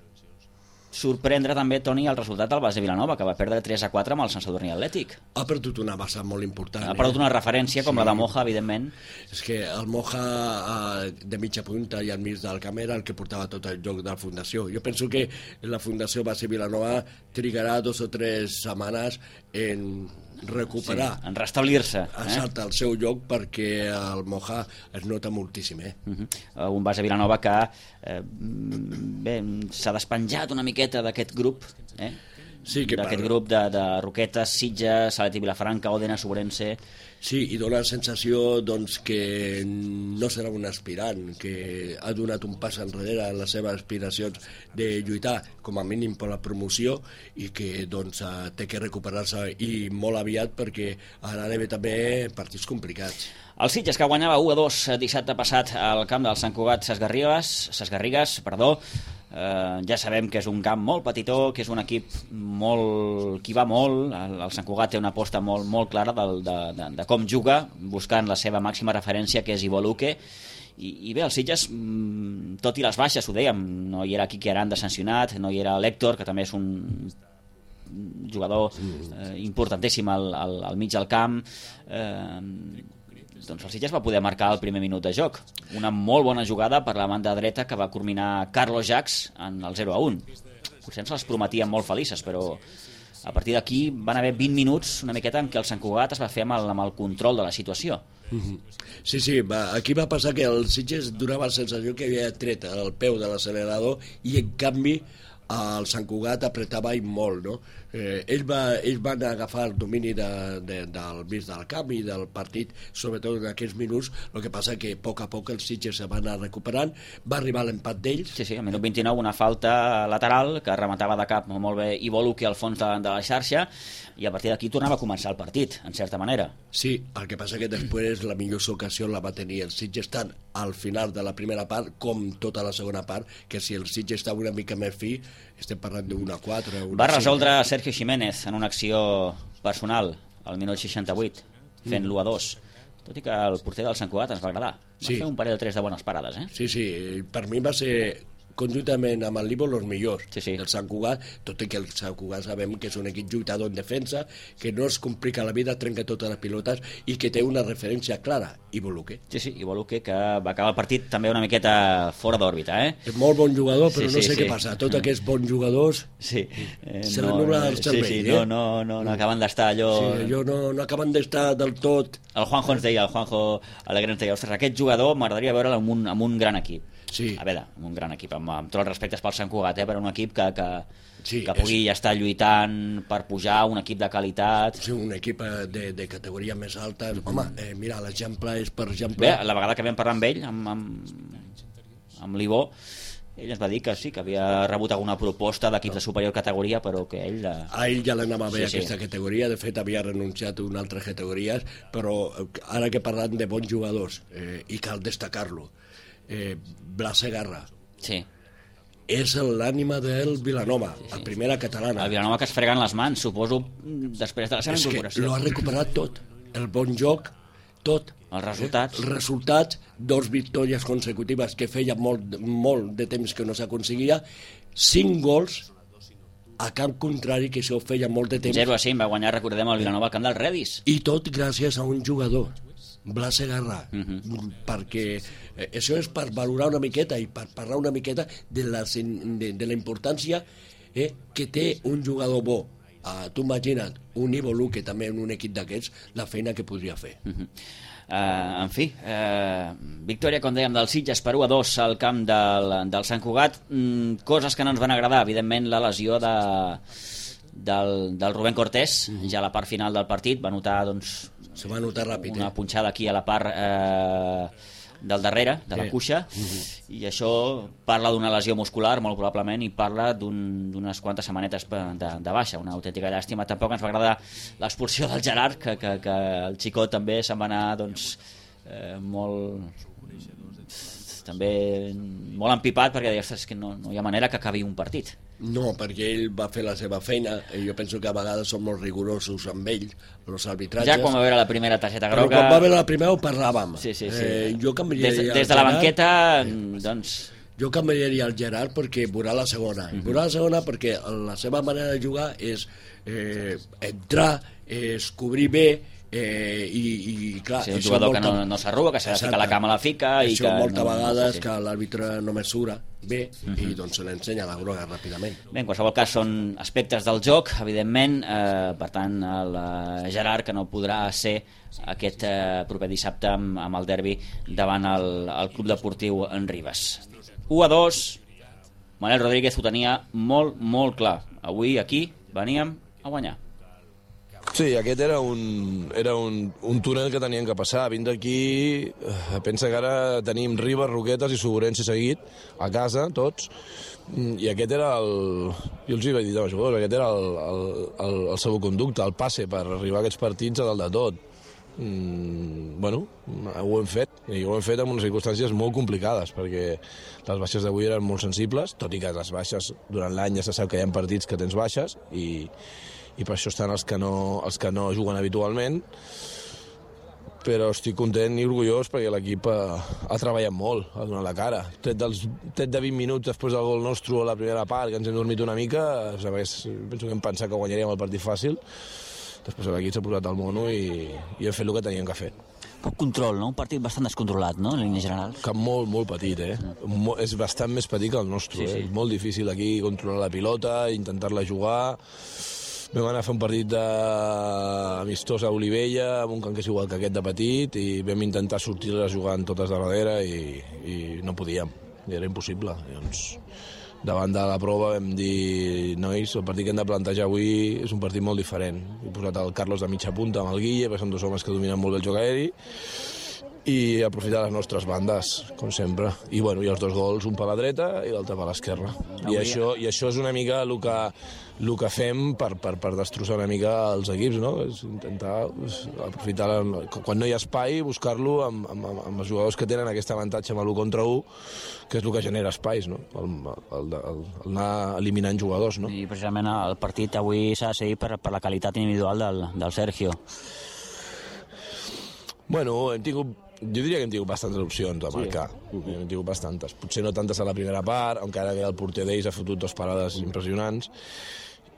sorprendre també, Toni, el resultat del Base Vilanova, que va perdre 3-4 amb el Sant Sadurní Atlètic. Ha perdut una base molt important. Ha perdut una referència com la de Moja, evidentment. És que el Moja de mitja punta i al mig del camp era el que portava tot el joc de la Fundació. Jo penso que la Fundació Base Vilanova trigarà 2 o 3 setmanes en recuperar, en restablir-se exacte, el seu lloc, perquè el Moja es nota moltíssim. Un Base Vilanova que s'ha despenjat una miqueta d'aquest grup, d'aquest grup de Roquetes, Sitges, Salet i Vilafranca, Òdena, Sobrense. Sí, i dona la sensació doncs, que no serà un aspirant, que ha donat un pas enrere en les seves aspiracions de lluitar com a mínim per la promoció i que doncs, té que recuperar-se i molt aviat perquè ara hi ha també partits complicats. El Sitges, que guanyava 1-2 dissabte passat al camp del Sant Cugat Sesgarrigues, ja sabem que és un camp molt petitó, que és un equip qui va molt. El Sant Cugat té una aposta molt clara de com juga, buscant la seva màxima referència, que és Ivo Luque. I bé, el Sitges, tot i les baixes, ho dèiem, no hi era Quique Aranda sancionat, no hi era l'Héctor, que també és un jugador importantíssim al mig del camp. Doncs el Sitges va poder marcar el primer minut de joc. Una molt bona jugada per la banda dreta que va culminar Carlos Jacs en el 0-1. Potser ens les prometien molt felices, però a partir d'aquí van haver 20 minuts una miqueta en què el Sant Cugat es va fer amb el control de la situació. Sí, aquí va passar que el Sitges donava la sensació que havia tret el peu de l'accelerador i en canvi el Sant Cugat apretava molt, no? Ells van agafar el domini del mig del camp i del partit, sobretot en aquests minuts. El que passa que a poc el Sitges se va anar recuperant, va arribar l'empat d'ells. Sí, al minut 29 una falta lateral que rematava de cap molt bé Ivo Luque al fons de la xarxa, i a partir d'aquí tornava a començar el partit, en certa manera. Sí, el que passa que després la millor ocasió la va tenir el Sitges tant al final de la primera part com tota la segona part, que si el Sitges estava una mica més fi, estem parlant d'una 4. Va resoldre Sergio Jiménez en una acció personal al minut 68, fent l'1-2. Tot i que el porter del Sant Cugat ens va agradar. Va fer un parell o tres de bones parades, eh? Sí, per mi va ser conjuntament amb el Libo els millors del Sant Cugat, tot i que el Sant Cugat sabem que és un equip lluitador en defensa, que no es complica la vida, trenca totes les pilotes i que té una referència clara, Ivo Luque. Sí, Ivo Luque, que va acabar el partit també una miqueta fora d'òrbita, eh? És molt bon jugador, però no sé què passa. Tots aquests bons jugadors se l'ennubla el cervell. No acaben d'estar allò... Sí, no acaben d'estar del tot... El Juanjo ens deia, el Juanjo Alegre ens deia, ostres, aquest jugador m'agradaria veure'l amb un gran equip. Sí. A veure, un gran equip, amb tots els respectes pel Sant Cugat, però un equip que pugui estar lluitant per pujar, un equip de qualitat. Sí, un equip de categoria més alta. Home, mira, l'exemple és, per exemple... Bé, la vegada que vam parlar amb ell, amb l'Ivo, ell ens va dir que sí, que havia rebut alguna proposta d'equips de superior categoria, però que ell... A ell ja l'anava bé aquesta categoria, de fet havia renunciat a una altra categories, però ara que parlant de bons jugadors, i cal destacar-lo, Blas Segarra és l'ànima del Vilanova, la primera catalana. El Vilanova que es freguen les mans, suposo, després de la seva incorporació. És que l'ha recuperat tot, el bon joc, tot. Els resultats, 2 victòries consecutives que feia molt de temps que no s'aconseguia, 5 gols a camp contrari, que això feia molt de temps. 0-5 va guanyar, recordem, el Vilanova al camp del Redis. I tot gràcies a un jugador, Blas Segarra, perquè això és per valorar una miqueta i per parlar una miqueta de la importància que té un jugador bo. Tu imagina't un Ivo Luque també en un equip d'aquests, la feina que podria fer. En fi, victòria, com dèiem, del Sitges per 1-2 al camp del Sant Cugat. Coses que no ens van agradar, evidentment la lesió del Rubén Cortés, ja a la part final del partit va notar, doncs, se va notar ràpid, una punxada aquí a la part del darrere, de la cuixa, i això parla d'una lesió muscular, molt probablement, i parla d'unes quantes setmanetes de baixa, una autèntica llàstima. Tampoc ens va agradar l'expulsió del Gerard, que el xicot també se'n va anar, doncs, molt empipat, perquè deia, ostres, que no hi ha manera que acabi un partit. No, perquè ell va fer la seva feina, i jo penso que a vegades som molt rigorosos amb ell, els arbitratges. Ja quan va veure la primera targeta groga... Però quan va veure la primera ho parlàvem. Sí. Jo canviaria des de la banqueta, doncs... Jo canviaria el Gerard perquè veurà la segona. Veurà la segona perquè la seva manera de jugar és entrar, és cobrir bé, i clar... Sí, un jugador que no s'arruga, que s'ha de ficar la cama a la fica... Això moltes vegades que l'àrbitre no mesura bé i doncs se l'ensenya la groga ràpidament. Bé, en qualsevol cas són aspectes del joc, evidentment, per tant el Gerard, que no podrà ser aquest proper dissabte amb el derbi davant el Club Deportiu en Ribes. 1-2, Manel Rodríguez ho tenia molt clar. Avui aquí veníem a guanyar. Sí, aquest era un túnel que teníem que passar. Vint d'aquí, pensa que ara tenim Ribes, Roquetes i Sogorense seguit, a casa, tots, i aquest era jo els hi vaig dir als jugadors, aquest era el seu conducte, el passe per arribar a aquests partits a dalt de tot. Bueno, ho hem fet, i ho hem fet en unes circumstàncies molt complicades, perquè les baixes d'avui eren molt sensibles, tot i que les baixes durant l'any ja se sap que hi ha partits que tens baixes, i per això estan els que no juguen habitualment, però estic content i orgullós perquè l'equip ha treballat molt, ha donat la cara. Tret de 20 minuts després del gol nostre a la primera part, que ens hem dormit una mica, penso que hem pensat que guanyaríem el partit fàcil, després l'equip s'ha posat al mono i hem fet el que teníem que fer. Poc control, no? Un partit bastant descontrolat, no?, en línies generals. Que molt, molt petit, és bastant més petit que el nostre, sí. És molt difícil aquí controlar la pilota, intentar-la jugar. Vam anar a fer un partit amistós a Olivella, amb un camp que és igual que aquest de petit, i vam intentar sortir-les jugant totes de darrere i no podíem, i era impossible. Llavors, davant de la prova vam dir, nois, el partit que hem de plantejar avui és un partit molt diferent. He posat el Carlos de mitja punta amb el Guille, perquè són dos homes que dominen molt bé el joc aeri, i aprofitar les nostres bandes, com sempre. I els dos gols, un per la dreta i l'altre per l'esquerra. I això és una mica el que fem per destrossar una mica els equips, no? És intentar aprofitar, quan no hi ha espai, buscar-lo amb els jugadors que tenen aquest avantatge amb l'1 contra 1, que és el que genera espais, no? El anar eliminant jugadors, no? I precisament el partit avui s'ha de seguir per la qualitat individual del Sergio. Bueno, jo diria que hem tingut bastantes opcions a marcar. Sí. Hem tingut bastantes. Potser no tantes a la primera part, encara que el porter d'ells ha fotut 2 parades impressionants.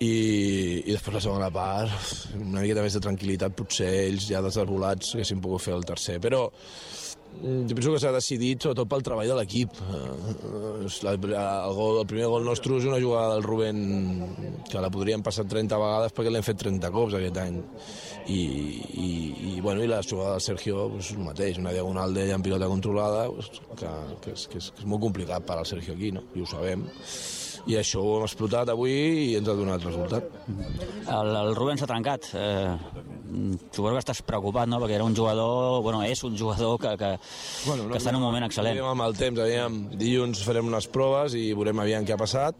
I després la segona part, una miqueta més de tranquil·litat, potser ells ja desarbolats haguessin pogut fer el tercer. Però jo penso que s'ha decidit sobretot pel treball de l'equip. El primer gol nostre és una jugada del Rubén que la podríem passar 30 vegades perquè l'hem fet 30 cops aquest any. I la jugada del Sergio és el mateix, una diagonal d'ell en pilota controlada, que és molt complicat per al Sergio aquí, no? I ho sabem. I això ho hem explotat avui i ens ha donat resultat. El Rubén s'ha trencat. Suposo que estàs preocupat, no?, perquè era un jugador, és un jugador que està en un moment excel·lent. Amb el temps, dilluns farem unes proves i veurem aviam què ha passat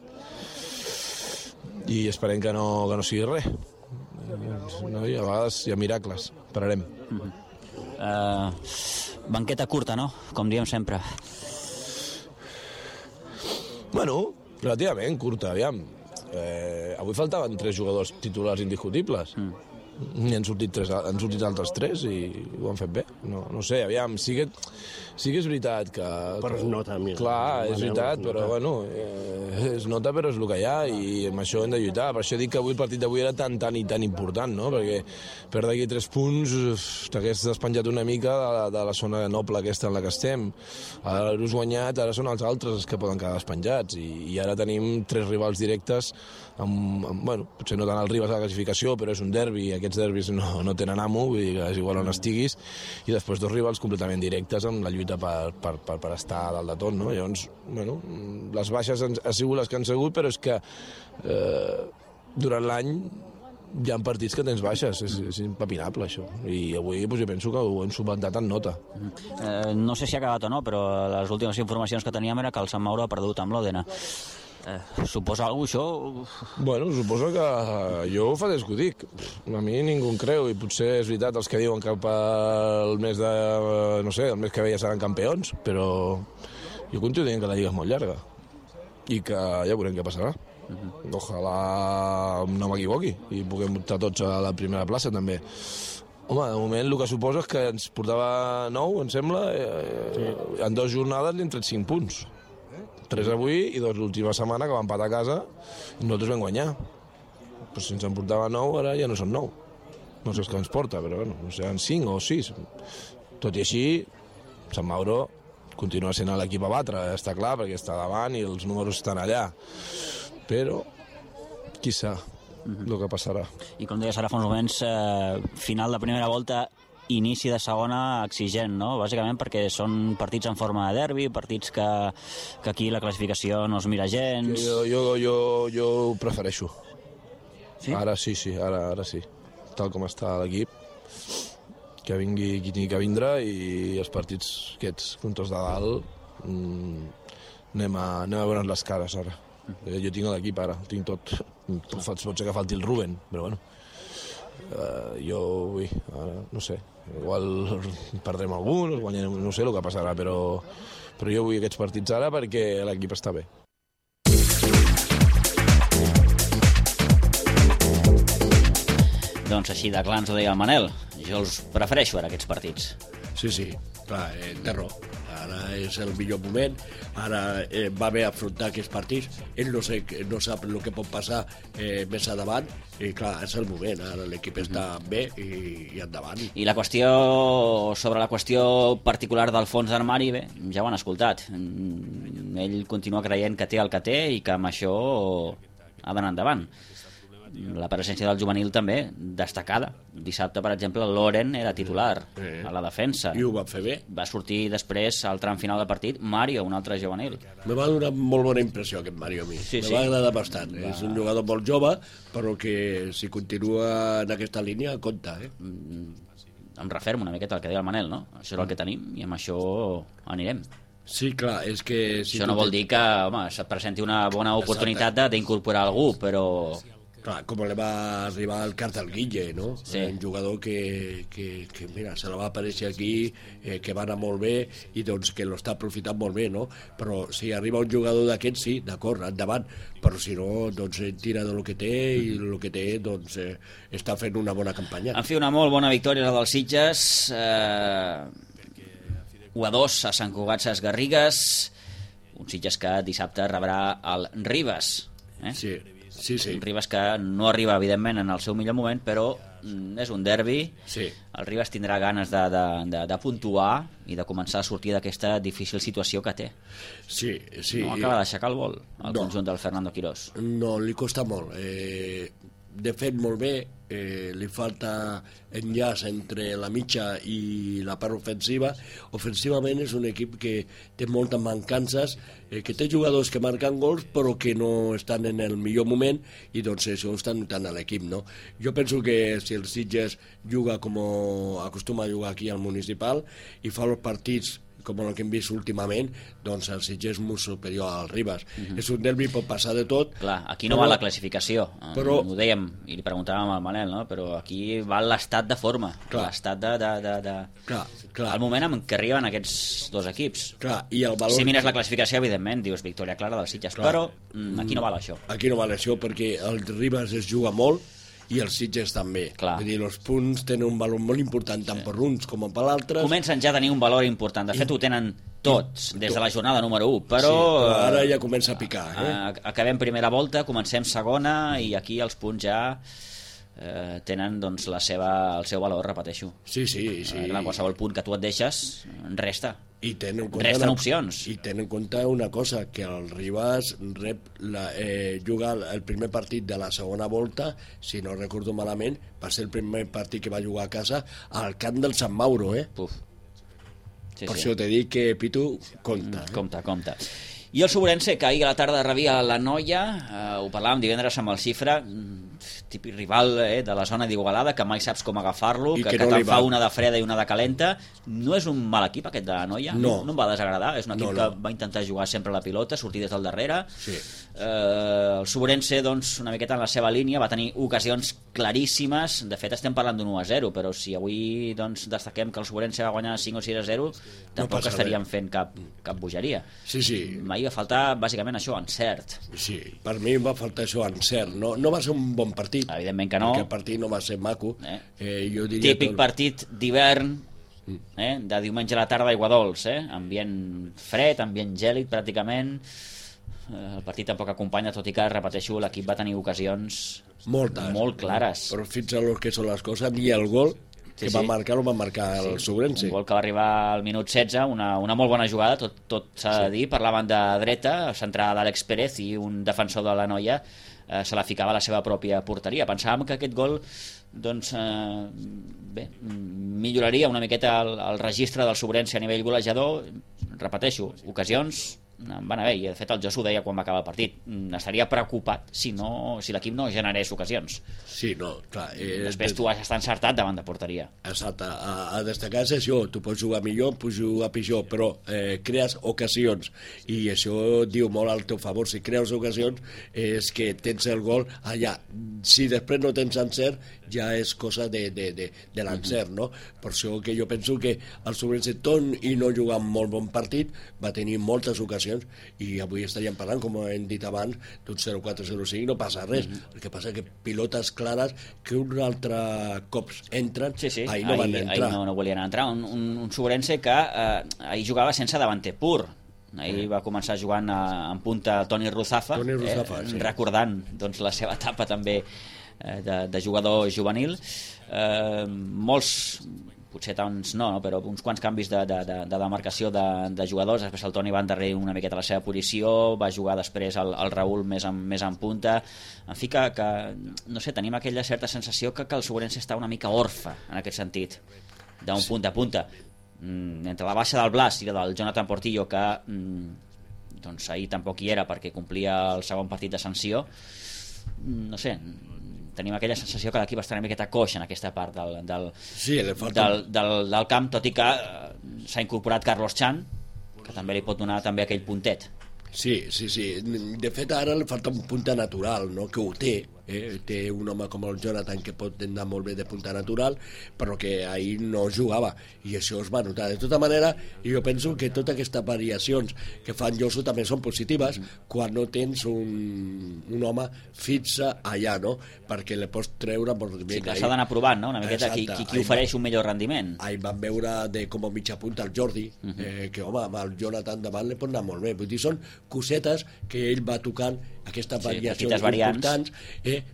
i esperem que no sigui res. No, i a vegades hi ha miracles. Esperarem. Banqueta curta, no?, com diem sempre. Relativament curta, aviam. Avui faltaven 3 jugadors titulars indiscutibles. I han sortit altres 3 i ho han fet bé. No sé, aviam, sí que és veritat que... Però es nota. Clar, és veritat, però es nota, però és el que hi ha i amb això hem de lluitar. Per això dic que avui el partit d'avui era tan important, no? Perquè per d'aquí 3 punts t'hagués despenjat una mica de la zona noble aquesta en la que estem. Ara l'hauràs guanyat, ara són els altres els que poden quedar despenjats i ara tenim 3 rivals directes potser no tant els rivals a la classificació, però és un derbi i aquests derbis no tenen amo, vull dir que és igual on estiguis, i després 2 rivals completament directes amb la lluita per estar a dalt de tot, no? Llavors, les baixes han sigut les que han sigut, però és que durant l'any hi ha partits que tens baixes, és impepinable això, i avui jo penso que ho hem subventat en nota. No sé si ha acabat o no, però les últimes informacions que teníem era que el Sant Mauro ha perdut amb l'Òdena. Suposa alguna cosa, això? Suposo que jo fa des que ho dic. A mi ningú em creu, i potser és veritat els que diuen que el mes el mes que ve ja seran campions, però jo continuo dient que la Lliga és molt llarga i que ja veurem què passarà. Ojalà no m'equivoqui i puguem optar tots a la primera plaça també. Home, de moment el que suposo és que ens portava 9, em sembla, en 2 jornades li hem tret 5 punts. 3 avui i 2 l'última setmana que van empatar a casa i nosaltres vam guanyar. Però si ens en portava 9, ara ja no són 9. No sé què ens porta, però no sé, 5 o 6. Tot i així, Sant Mauro continua sent l'equip a batre, està clar, perquè està davant i els números estan allà. Però, qui sap el que passarà. I com deies ara fa uns moments, final de primera volta, inici de segona exigent, no? Bàsicament perquè són partits en forma de derbi, partits que aquí la classificació no es mira gens... Jo ho prefereixo. Sí? Ara sí, ara sí. Tal com està l'equip, que vingui qui tingui que vindre, i els partits aquests contra els de dalt anem a veure'ns les cares ara. Jo tinc l'equip ara, tinc tot. Pot ser que falti el Rubén, però bueno, jo vull, ara, no sé, igual perdrem algun, guanyarem, no sé el que passarà, però jo vull aquests partits ara perquè l'equip està bé. Doncs així de clar ens ho deia el Manel. Jo els prefereixo ara, aquests partits. Sí, clar, té raó. Ara és el millor moment, ara va bé afrontar aquests partits, ell no sap el que pot passar més endavant, i clar, és el moment, ara l'equip està bé i endavant. I sobre la qüestió particular del fons d'armari, bé, ja ho han escoltat. Ell continua creient que té el que té i que amb això ha d'anar endavant. La presència del juvenil també, destacada. Dissabte, per exemple, Loren era titular a la defensa. I ho va fer bé. Va sortir després, al tram final del partit, Mario, un altre juvenil. Me va donar molt bona impressió aquest Mario a mi. Me va agradar bastant. És un jugador molt jove, però que si continua en aquesta línia, compta. Em refermo una miqueta al que deia el Manel, no? Això és el que tenim i amb això anirem. Sí, clar, és que... Això no vol dir que, home, se't presenti una bona oportunitat d'incorporar algú, però... Clar, com li va arribar el Cartel Guille, no? Sí. Un jugador que mira, se la va aparèixer aquí, que va anar molt bé i doncs que l'està aprofitant molt bé, no? Però si arriba un jugador d'aquest, sí, d'acord, endavant, però si no, doncs tira de lo que té i el que té, doncs està fent una bona campanya. En fi, una molt bona victòria la dels Sitges, 1-2 a Sant Cugat Sesgarrigues, un Sitges que dissabte rebrà el Ribes. Sí. Un Ribes que no arriba, evidentment, en el seu millor moment, però és un derbi. El Ribes tindrà ganes de puntuar i de començar a sortir d'aquesta difícil situació que té. Sí. No acaba d'aixecar el vol, el conjunt del Fernando Quirós. No, li costa molt. De fet, molt bé, li falta enllaç entre la mitja i la part ofensiva. Ofensivament és un equip que té moltes mancances, que té jugadors que marquen gols però que no estan en el millor moment, i doncs això ho està notant a l'equip, no? Jo penso que si el Sitges juga com acostuma a jugar aquí al Municipal i fa els partits com el que hem vist últimament, doncs el Sitges és molt superior al Ribes. És un derbi, pot passar de tot. Clar, aquí no va la classificació, ho dèiem, i li preguntàvem al Manel, no? Però aquí va l'estat de forma, l'estat el moment en què arriben aquests dos equips. I el valor... Si mires la classificació, evidentment, dius victòria clara dels Sitges, però aquí no val això. Aquí no val això, perquè el Ribes es juga molt, i els Sitges també. Vull dir, els punts tenen un valor molt important, tant per uns com per l'altres. Comencen ja a tenir un valor important. De fet, ho tenen tots, des de la jornada número 1. Però ara ja comença a picar. Acabem primera volta, comencem segona, i aquí els punts ja tenen doncs, el seu valor, repeteixo. Sí. Qualsevol punt que tu et deixes, resta. Resten opcions. I ten en compte una cosa, que el Ribas juga el primer partit de la segona volta, si no recordo malament, va ser el primer partit que va jugar a casa al camp del Sant Mauro, Per això t'he dit que Pitu compta. Compta. I el Sobrense, que ahir a la tarda rebia la Noia, ho parlàvem divendres amb el Xifra, típic rival de la zona d'Igualada, que mai saps com agafar-lo, que te'n fa una de freda i una de calenta. No és un mal equip aquest de la Noia, no em va desagradar, és un equip que va intentar jugar sempre a la pilota, sortir des del darrere. El Sobrense, doncs, una miqueta en la seva línia, va tenir ocasions claríssimes. De fet, estem parlant d'un 1-0, però si avui destaquem que el Sobrense va guanyar 5 o 6-0, tampoc estaríem fent cap bogeria. M'hi va faltar bàsicament això, encert. Sí, per mi va faltar això, encert. No va ser un bon partit. Evidentment que no. Perquè el partit no va ser maco. Típic partit d'hivern, de diumenge a la tarda, aigua dolç, ambient fred, ambient gèlid pràcticament. El partit tampoc acompanya, tot i que, repeteixo, l'equip va tenir ocasions molt clares. Però fins a lo que són les coses, ni el gol que va marcar el Sobrense. Un gol que va arribar al minut 16, una molt bona jugada, tot s'ha de dir. Parlaven de dreta, centrada d'Àlex Pérez, i un defensor de la Noia se la ficava a la seva pròpia porteria. Pensàvem que aquest gol milloraria una miqueta el registre del Sobrense a nivell golejador. Repeteixo, ocasions van a bé, i de fet el Josu deia quan va acabar el partit, estaria preocupat si l'equip no generés ocasions. Sí, no, clar. Després tu has d'estar encertat davant de porteria. Exacte, a destacar és això, tu pots jugar millor, pots jugar pitjor, però crees ocasions, i això diu molt al teu favor. Si creus ocasions és que tens el gol allà. Si després no tens encert, ja és cosa de l'encert, no? Per això que jo penso que el Sobrense, tot i no jugar un molt bon partit, va tenir moltes ocasions, i avui estaríem parlant, com hem dit abans, d'un 0-4-0-5, no passa res. El que passa que pilotes clares que un altre cops entren, ahir no van entrar. Ahir no volien entrar. Un Sobrense que ahir jugava sense davanter pur. Ahir va començar jugant en punta Toni Ruzafa, sí. Recordant doncs, la seva etapa també de jugador juvenil. Molts, potser tants no, però uns quants canvis de demarcació de jugadors. Després el Toni va endarrer una miqueta la seva posició, va jugar després el Raül més en punta. En fi, que no sé, tenim aquella certa sensació que el Sobrense està una mica orfe en aquest sentit, d'un punta a punta. Entre la baixa del Blas i la del Jonathan Portillo, que doncs ahir tampoc hi era perquè complia el segon partit de sanció, no sé, tenim aquella sensació que l'equip està una miqueta coix en aquesta part del camp, tot i que s'ha incorporat Carlos Chan, que també li pot donar també aquell puntet. Sí. De fet, ara li falta un punta natural, no? Que ho té. Té un home com el Jonathan que pot anar molt bé de punta natural, però que ahir no jugava, i això es va notar. De tota manera, jo penso que totes aquestes variacions que fan Josu també són positives quan no tens un home fixe allà, no? Perquè le pots treure molt bé. Sí, que s'ha d'anar provant, no? Una miqueta qui ofereix un millor rendiment. Ahir vam veure com a mitja punta el Jordi, que home, amb el Jonathan davant li pot anar molt bé. Vull dir, són cosetes que ell va tocant, aquestes variacions importants,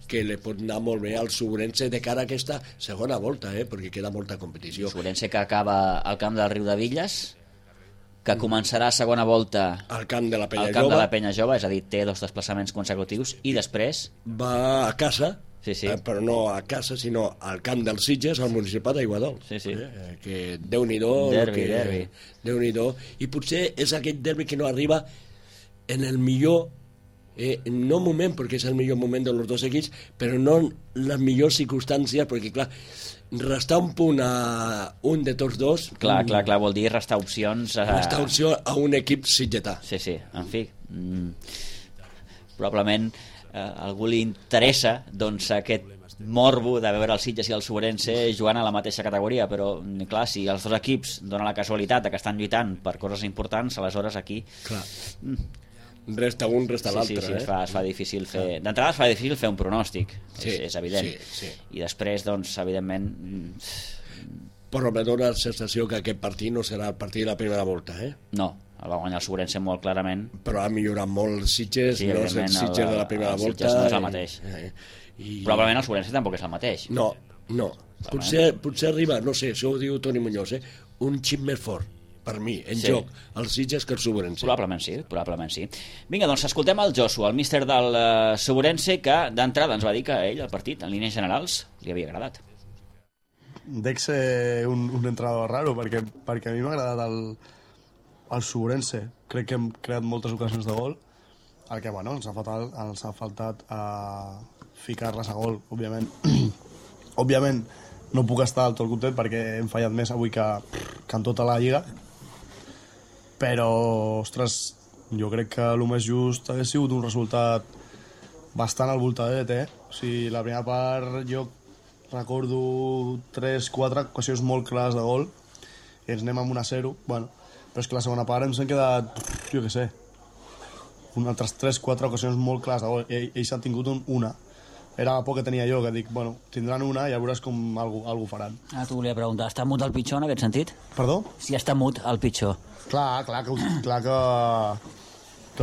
que li pot anar molt bé al Sobrense de cara a aquesta segona volta, perquè queda molta competició. Sobrense que acaba al camp del Riu de Villes, que començarà segona volta al camp de la Penya Jove, és a dir, té 2 desplaçaments consecutius, i després va a casa, sí. Però no a casa, sinó al camp dels Sitges, al Municipal d'Aiguadol. Sí. Que Déu-n'hi-do. Derbi. Déu-n'hi-do. I potser és aquest derbi que no arriba en el millor no moment, perquè és el millor moment dels dos equips, però no en les millors circumstàncies, perquè clar, restar un punt a un de tots dos... Clar, vol dir restar opcions... Restar opció a un equip sitgetà. Sí, en fi. Probablement a algú li interessa doncs aquest morbo de veure els Sitges i el Sobrense jugant a la mateixa categoria, però clar, si els dos equips donen la casualitat que estan lluitant per coses importants, aleshores aquí... Clar. Resta un, resta l'altre. Sí, es fa difícil fer... D'entrada es fa difícil fer un pronòstic, és evident. Sí. I després, doncs, evidentment... Però me dóna la sensació que aquest partit no serà el partit de la primera volta, No, el va guanyar el Sobrense molt clarament. Però ha millorat molt els Sitges, no és el Sitges de la primera volta. El Sitges no és el mateix. Probablement el Sobrense tampoc és el mateix. No. Potser arriba, no sé, això ho diu Toni Muñoz, un xip més fort, per mi, joc, els Sitges que el Sobrense. Probablement sí. Vinga, doncs escoltem el Josu, el míster del Sobrense, que d'entrada ens va dir que ell, el partit, en línies generals, li havia agradat. Dec ser un entrenador raro, perquè a mi m'ha agradat el Sobrense. Crec que hem creat moltes ocasions de gol, el que, bueno, ens ha faltat ficar-les a gol, òbviament. Òbviament, no puc estar del tot content perquè hem fallat més avui que en tota la Lliga, però, ostres, jo crec que el més just hagués sigut un resultat bastant al voltadet, O sigui, la primera part jo recordo 3-4 ocasions molt clares de gol i ens anem amb 1-0, bueno, però és que la segona part ens han quedat, jo què sé, altres 3-4 ocasions molt clares de gol, ells han tingut una. Era la por que tenia jo, que dic, bueno, tindran una i ja veuràs com algú faran. T'ho volia preguntar, està mut el pitjor en aquest sentit? Perdó? Si està mut el pitjor. Clar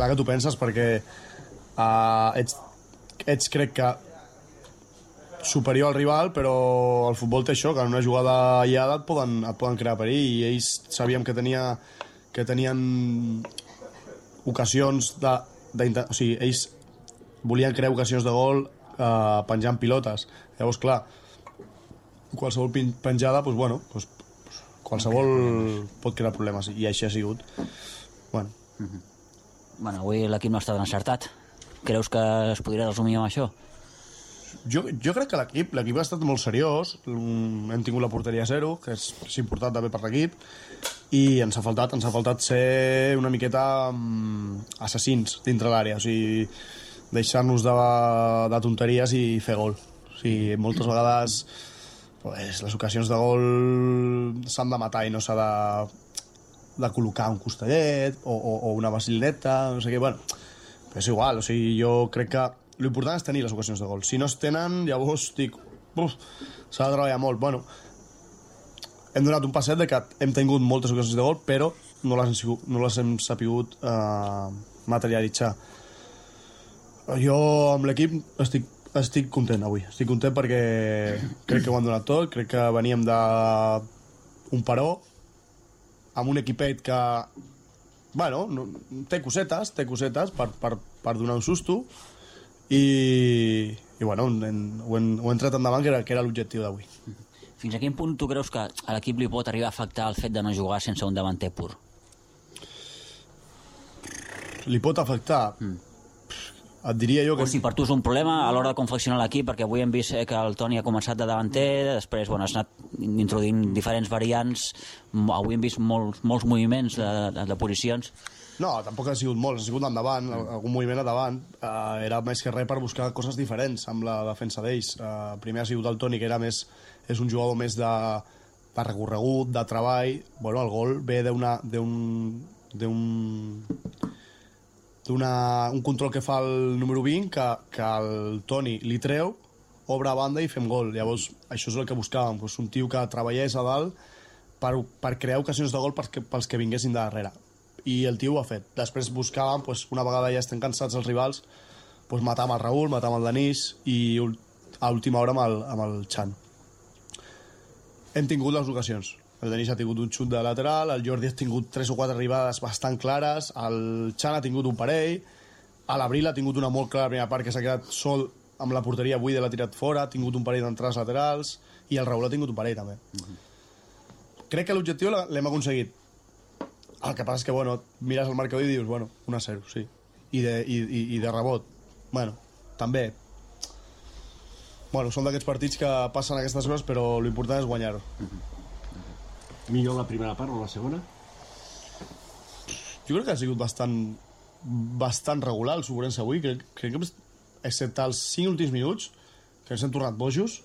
que tu penses, perquè ets crec que superior al rival, però el futbol té això, que en una jugada aïllada et poden crear perill, i ells sabíem que tenien ocasions o sigui, ells volien crear ocasions de gol penjant pilotes. Llavors, clar, qualsevol penjada, doncs, bueno, qualsevol pot crear problemes, i així ha sigut. Bueno. Bueno, avui l'equip no està tan encertat. Creus que es podria resumir amb això? Jo crec que l'equip ha estat molt seriós. Hem tingut la porteria 0, que és important també per l'equip, i ens ha faltat ser una miqueta assassins dintre l'àrea, o sigui, deixar-nos de tonteries i fer gol. O sigui, moltes vegades pues, les ocasions de gol s'han de matar i no s'ha de col·locar un costellet o una vacilineta, no sé què, bueno, però és igual, o sigui, jo crec que l'important és tenir les ocasions de gol. Si no es tenen, llavors dic, s'ha de treballar molt. Bueno, hem donat un passet de que hem tingut moltes ocasions de gol, però no les hem sapigut materialitzar. Jo amb l'equip estic content avui. Estic content perquè crec que ho han donat tot, crec que veníem d'un paró amb un equipet que bueno, té cosetes per donar un susto i bueno, ho hem tret endavant, que era l'objectiu d'avui. Fins a quin punt tu creus que a l'equip li pot arribar a afectar el fet de no jugar sense un davanter pur? Li pot afectar? Et diria jo que... O si per tu és un problema a l'hora de confeccionar l'equip, perquè avui hem vist que el Toni ha començat de davanter, després bueno, has anat introduint diferents variants, avui hem vist molts moviments de posicions. No, tampoc ha sigut molts, ha sigut endavant, algun moviment endavant. Era més que res per buscar coses diferents amb la defensa d'ells. Primer ha sigut el Toni, que és un jugador més de recorregut, de treball. Bueno, el gol ve un control que fa el número 20 que el Toni li treu, obre a banda i fem gol. Llavors, això és el que buscàvem, un tio que treballés a dalt per crear ocasions de gol pels que vinguessin de darrere. I el tio ho ha fet. Després buscàvem, una vegada ja estem cansats els rivals, matar amb el Raül, matar amb el Denis i a última hora amb el Chan. Hem tingut les ocasions. El Denis ha tingut un xut de lateral, el Jordi ha tingut 3 o 4 arribades bastant clares, el Chan ha tingut un parell, l'Abril ha tingut una molt clara primera part que s'ha quedat sol amb la porteria buida, l'ha tirat fora, ha tingut un parell d'entrades laterals i el Raül ha tingut un parell també. Crec que l'objectiu l'hem aconseguit. El que passa és que, bueno, mires el marcador i dius, bueno, 1-0, sí. I de rebot, bueno, també. Bueno, són d'aquests partits que passen aquestes coses, però l'important és guanyar-ho. Millor la primera part o la segona? Jo crec que ha sigut bastant regular el Sobrense avui. Crec que, excepte els 5 últims minuts, que ens hem tornat bojos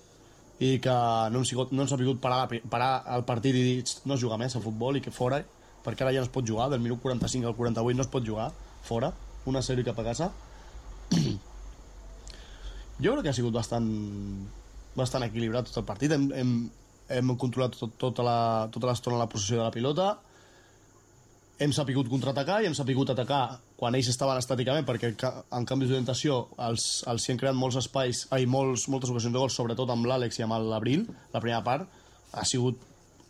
i que no hem sabut parar el partit i dir no jugar més a futbol i que fora, perquè ara ja no es pot jugar, del minut 45 al 48 no es pot jugar, fora, 1-0 i cap a casa. Jo crec que ha sigut bastant equilibrat tot el partit. Hem controlat tota l'estona la possessió de la pilota, hem sapigut contraatacar i hem sapigut atacar quan ells estaven estàticament, perquè en canvis d'orientació els hi han creat molts espais, moltes ocasions de gol, sobretot amb l'Àlex i amb l'Abril. La primera part ha sigut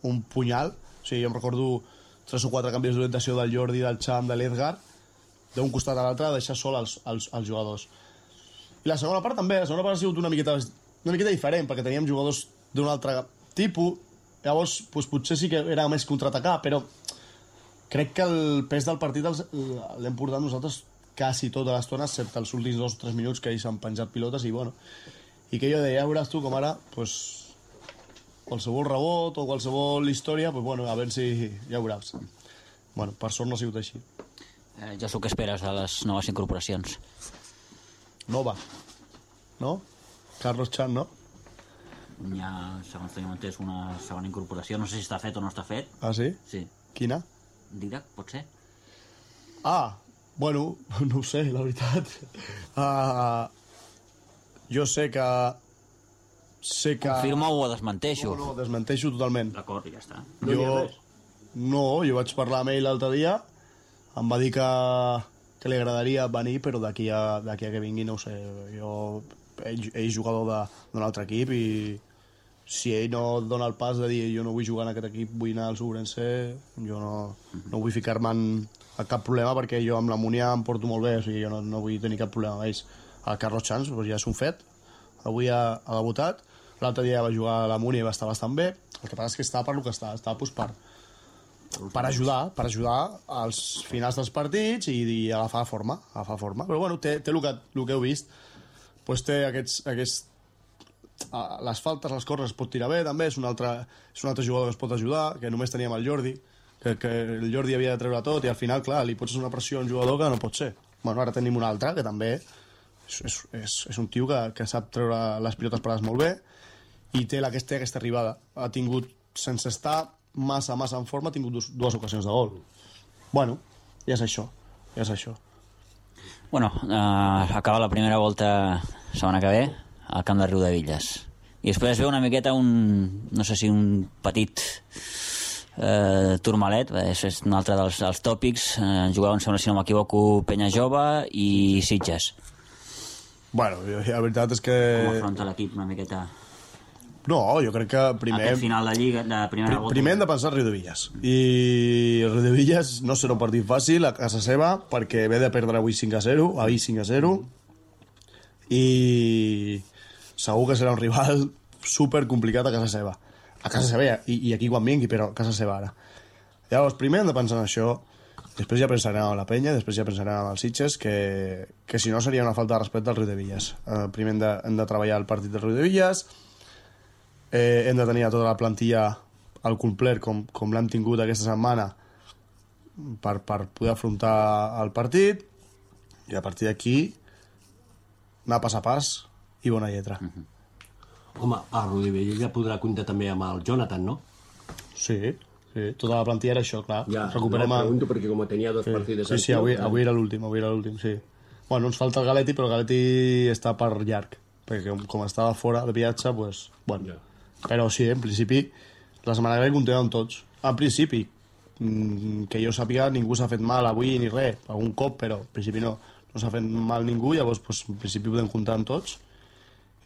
un punyal, o sigui, jo em recordo 3 o 4 canvis d'orientació del Jordi, del Cham, de l'Edgar, d'un costat a l'altre, de deixar sol els jugadors. I la segona part també, la segona part ha sigut una miqueta diferent, perquè teníem jugadors d'un altre tipus, llavors potser sí que era més contraatacar, però crec que el pes del partit l'hem portat nosaltres quasi tota l'estona, excepte els últims 2 o 3 minuts que ells han penjat pilotes i que jo deia, ja veuràs tu com ara qualsevol rebot o qualsevol història, a veure si ja veuràs. Per sort no ha sigut així. Jesús, què esperes de les noves incorporacions? Nova, no? Carlos Chan, no? Hi ha, segons tenim entès, una segona incorporació. No sé si està fet o no està fet. Ah, sí? Sí. Quina? Didac, pot ser? Bueno, no ho sé, la veritat. Jo sé que... Confirma o ho desmenteixo? No, desmenteixo totalment. D'acord, ja està. Jo vaig parlar amb ell l'altre dia, em va dir que li agradaria venir, però d'aquí a que vingui no ho sé. Ell és jugador d'un altre equip i si ell no dona el pas de dir jo no vull jugar en aquest equip, vull anar al Sobrense, jo no vull ficar-me a cap problema, perquè jo amb la Múnia em porto molt bé, o sigui, jo no vull tenir cap problema amb ells. El Carlos Chans ja és un fet, avui ha debutat, l'altre dia va jugar a la Múnia i va estar bastant bé, el que passa és que estava per lo que estava per ajudar als finals dels partits i agafar forma. Però bueno, té el que heu vist, doncs té les faltes, les corres es pot tirar bé també, és un altre jugador que es pot ajudar, que només teníem el Jordi, que el Jordi havia de treure tot i al final, clar, li pots fer una pressió a un jugador que no pot ser. Bueno, ara tenim un altre que també és un tio que sap treure les pilotes parades molt bé i té aquesta arribada. Ha tingut, sense estar massa en forma, ha tingut dues ocasions de gol. Bueno, ja és això. Bueno, acaba la primera volta setmana que ve al camp de Riudevilles. I després ve una miqueta no sé si un petit turmalet, és un altre dels tòpics. Jugaven, sembla, si no m'equivoco, Penya Jove i Sitges. Bueno, la veritat és que... Com afronta l'equip una miqueta? No, jo crec que primer... Aquest final de Lliga, de primera volta... Primer hem de pensar en Riudevilles. I Riudevilles no serà un partit fàcil a casa seva, perquè ve de perdre avui 5-0, ahir 5-0, i segur que serà un rival super complicat a casa seva. A casa seva i aquí quan vingui, però a casa seva ara. Llavors, primer hem de pensar en això, després ja pensarem en la Penya, després ja pensarem en els Sitges, que si no seria una falta de respecte al Riudevilles. Primer hem de treballar el partit del Riudevilles, hem de tenir a tota la plantilla al complet com l'hem tingut aquesta setmana per poder afrontar el partit, i a partir d'aquí anar pas a pas i bona lletra. Home, a Riudevilles ja podrà comptar també amb el Jonathan, no? Sí, tota la plantilla era això, clar. Ja, pregunto perquè com tenia dos partits... Sí, avui era l'últim, sí. Bueno, ens falta el Galetti, però el Galetti està per llarg, perquè com estava fora de viatge, doncs... Bueno. Ja. Però sí, en principi, la setmana que ve comptem amb tots. En principi, que jo sàpiga, ningú s'ha fet mal avui ni res, algun cop, però en principi no s'ha fet mal ningú, llavors en principi podem comptar amb tots,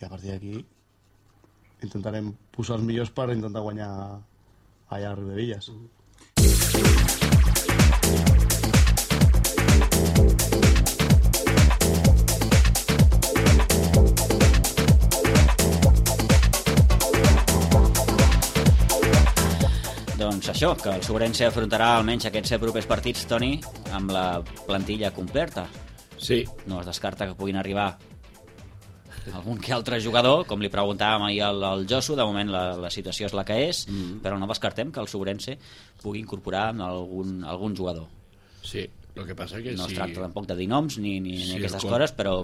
i a partir d'aquí intentarem posar els millors per intentar guanyar allà a Riudevilles. Doncs això, que el Sobrense afrontarà almenys aquests propers partits, Toni, amb la plantilla completa. Sí. No es descarta que puguin arribar algun que altre jugador, com li preguntàvem ahir al Josu, de moment la situació és la que és, però no descartem que el Sobrense pugui incorporar algun jugador. Sí, el que passa que no es tracta tampoc de dir noms ni aquestes coses, però...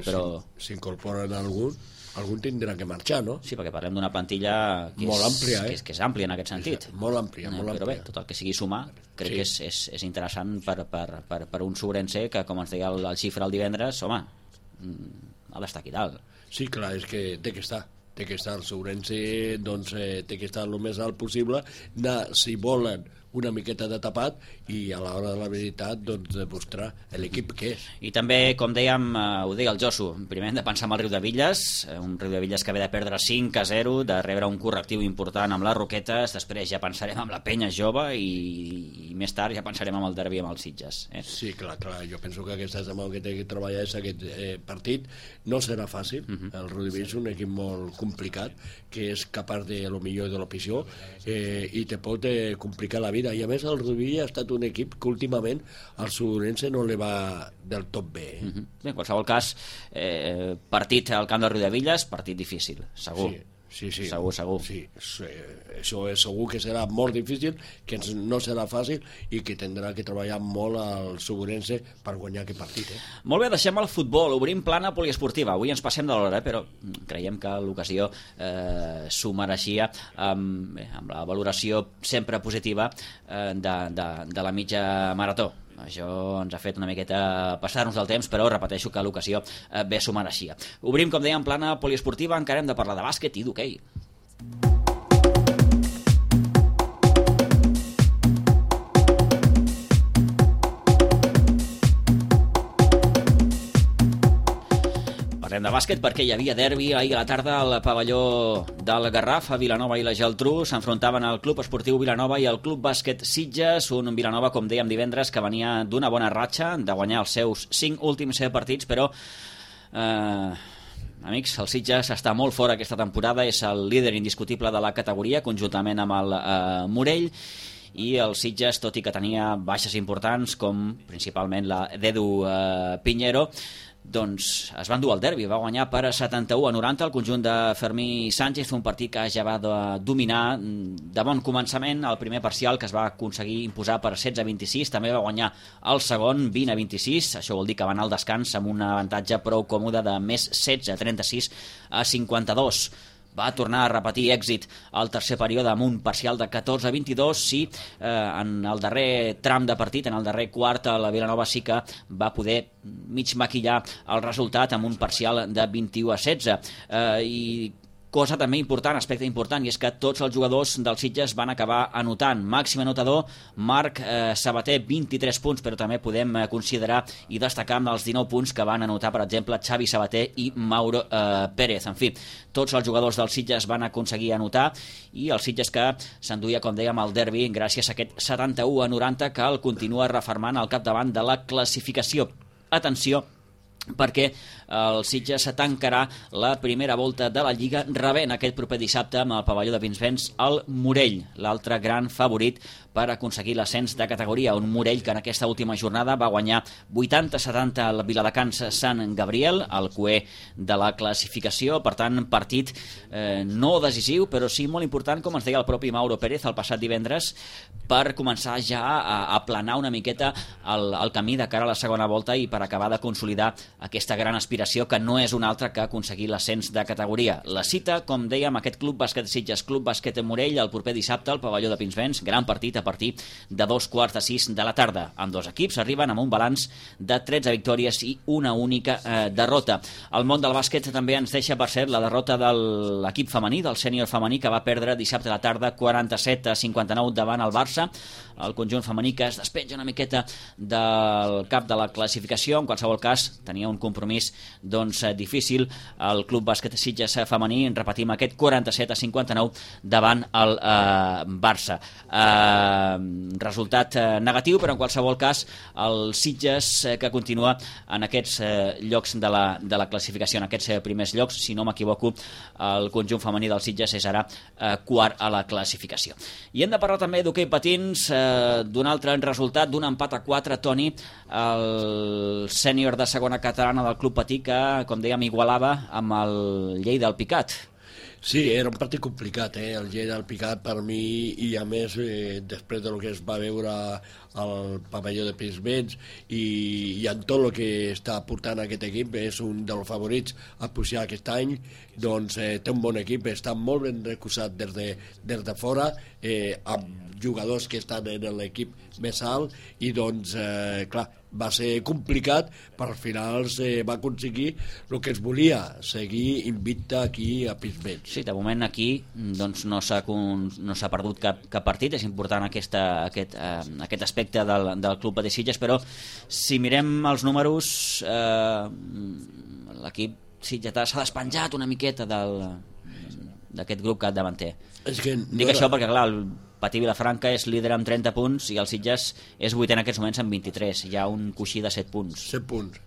Si incorporen algun tindrà que marxar, no? Sí, perquè parlem d'una plantilla que molt àmplia, que és àmplia en aquest sentit. Molt àmplia, molt àmplia. Però bé, tot el que sigui sumar, crec que és interessant per un Sobrense que, com ens deia el Xifra el divendres, home, ha d'estar aquí dalt. Sí, clar, és que té que estar el Sobrense, doncs té que estar el més alt possible, si volen una miqueta de tapat, i a l'hora de la veritat doncs demostrar l'equip que és. I també, com dèiem, ho deia el Josu, primer hem de pensar en el Riudevilles, un Riudevilles que ve de perdre 5-0, de rebre un correctiu important amb les Roquetes, després ja pensarem amb la Penya Jove i més tard ja pensarem amb el derbi amb els Sitges. Sí, clar, jo penso que aquesta setmana que té que treballar és aquest partit. No serà fàcil, el Riudevilles és un equip molt complicat, que és capaç de lo millor de l'opció, i te pot complicar la vida, i a més el Riudevilles ha estat un equip que últimament al Sobrense no li va del tot bé. Bé, en qualsevol cas, partit al camp de Riudevilles, partit difícil, segur. Sí. Segur. Sí, això és segur que serà molt difícil, que no serà fàcil i que tindrà que treballar molt al Sobrense per guanyar aquest partit. Molt bé, deixem el futbol, obrim plana poliesportiva. Avui ens passem de l'hora, però creiem que l'ocasió s'ho mereixia amb la valoració sempre positiva de la mitja marató. Això ens ha fet una miqueta passar-nos del temps, però repeteixo que l'ocasió bé s'ho mereixia. Obrim, com dèiem, plana poliesportiva, encara hem de parlar de bàsquet i d'hoquei. Parlem de bàsquet perquè hi havia derbi ahir a la tarda al pavelló del Garraf. A Vilanova i la Geltrú s'enfrontaven al Club Esportiu Vilanova i al Club Bàsquet Sitges, un Vilanova, com dèiem divendres, que venia d'una bona ratxa, de guanyar els seus 5 últims partits, però amics, el Sitges està molt fora aquesta temporada, és el líder indiscutible de la categoria, conjuntament amb el Morell, i el Sitges, tot i que tenia baixes importants, com principalment la d'Edu Piñero, doncs es va endur al derbi, va guanyar per 71-90 el conjunt de Fermí Sánchez, un partit que ja va dominar de bon començament el primer parcial, que es va aconseguir imposar per 16-26, també va guanyar el segon 20-26, això vol dir que va anar al descans amb un avantatge prou còmode de més 16-36-52. Va tornar a repetir èxit al tercer període amb un parcial de 14-22. Sí, en el darrer tram de partit, en el darrer quart, la Vilanova sí que va poder mig maquillar el resultat amb un parcial de 21-16. I cosa també important, aspecte important, i és que tots els jugadors del Sitges van acabar anotant. Màxim anotador, Marc Sabater, 23 punts, però també podem considerar i destacar amb els 19 punts que van anotar, per exemple, Xavi Sabater i Mauro Pérez. En fi, tots els jugadors del Sitges van aconseguir anotar, i el Sitges que s'enduia, com dèiem, el derbi gràcies a aquest 71-90 que el continua refermant al capdavant de la classificació. Atenció, perquè el Sitges tancarà la primera volta de la Lliga rebent aquest proper dissabte amb el pavelló de Pinsbens el Morell, l'altre gran favorit per aconseguir l'ascens de categoria. Un Morell que en aquesta última jornada va guanyar 80-70 al Viladecans Sant Gabriel, el cué de la classificació. Per tant, partit no decisiu, però sí molt important, com ens deia el propi Mauro Pérez el passat divendres, per començar ja a aplanar una miqueta el camí de cara a la segona volta i per acabar de consolidar aquesta gran aspiració que no és una altra que aconseguir l'ascens de categoria. La cita, com dèiem, aquest Club Bàsquet Sitges, Club Bàsquet Morell, el proper dissabte al pavelló de Pinsbens, gran partit a partir de 2:45 de la tarda. Amb dos equips arriben amb un balanç de 13 victòries i una única derrota. El món del bàsquet també ens deixa per cert la derrota de l'equip femení, del sènior femení, que va perdre dissabte a la tarda 47-59 davant el Barça. El conjunt femení que es despenja una miqueta del cap de la classificació. En qualsevol cas, tenia un compromís difícil el Club Bàsquet Sitges femení, repetim, aquest 47-59 davant el Barça. Resultat negatiu, però en qualsevol cas el Sitges que continua en aquests llocs de la classificació, en aquests primers llocs. Si no m'equivoco, el conjunt femení del Sitges és ara quart a la classificació. I hem de parlar també d'hoquei patins, d'un altre resultat, d'un empat a 4, Toni, el sènior de segona catalana del Club Patí, que, com dèiem, igualava amb el Lleida del Picat. Sí, era un partit complicat, el Lleida del Picat per mi, i a més després del que es va veure al pavelló de Pinsbens i en tot el que està portant aquest equip, és un dels favorits a pujar aquest any. Doncs té un bon equip, està molt ben recolzat des de fora, amb jugadors que estan en l'equip més alt, i doncs, clar, va ser complicat, però al final va aconseguir el que es volia, seguir invicte aquí a Pinsbens. Sí, de moment aquí doncs, no s'ha perdut cap partit. És important aquest aspecte del Club Patí Sitges, però si mirem els números, l'equip sitgetà s'ha despenjat una miqueta d'aquest grup capdavanter. Dic això perquè, clar, el Patí Vilafranca és líder amb 30 punts i el Sitges és vuitè en aquests moments amb 23. Hi ha un coixí de 7 punts. 7 punts.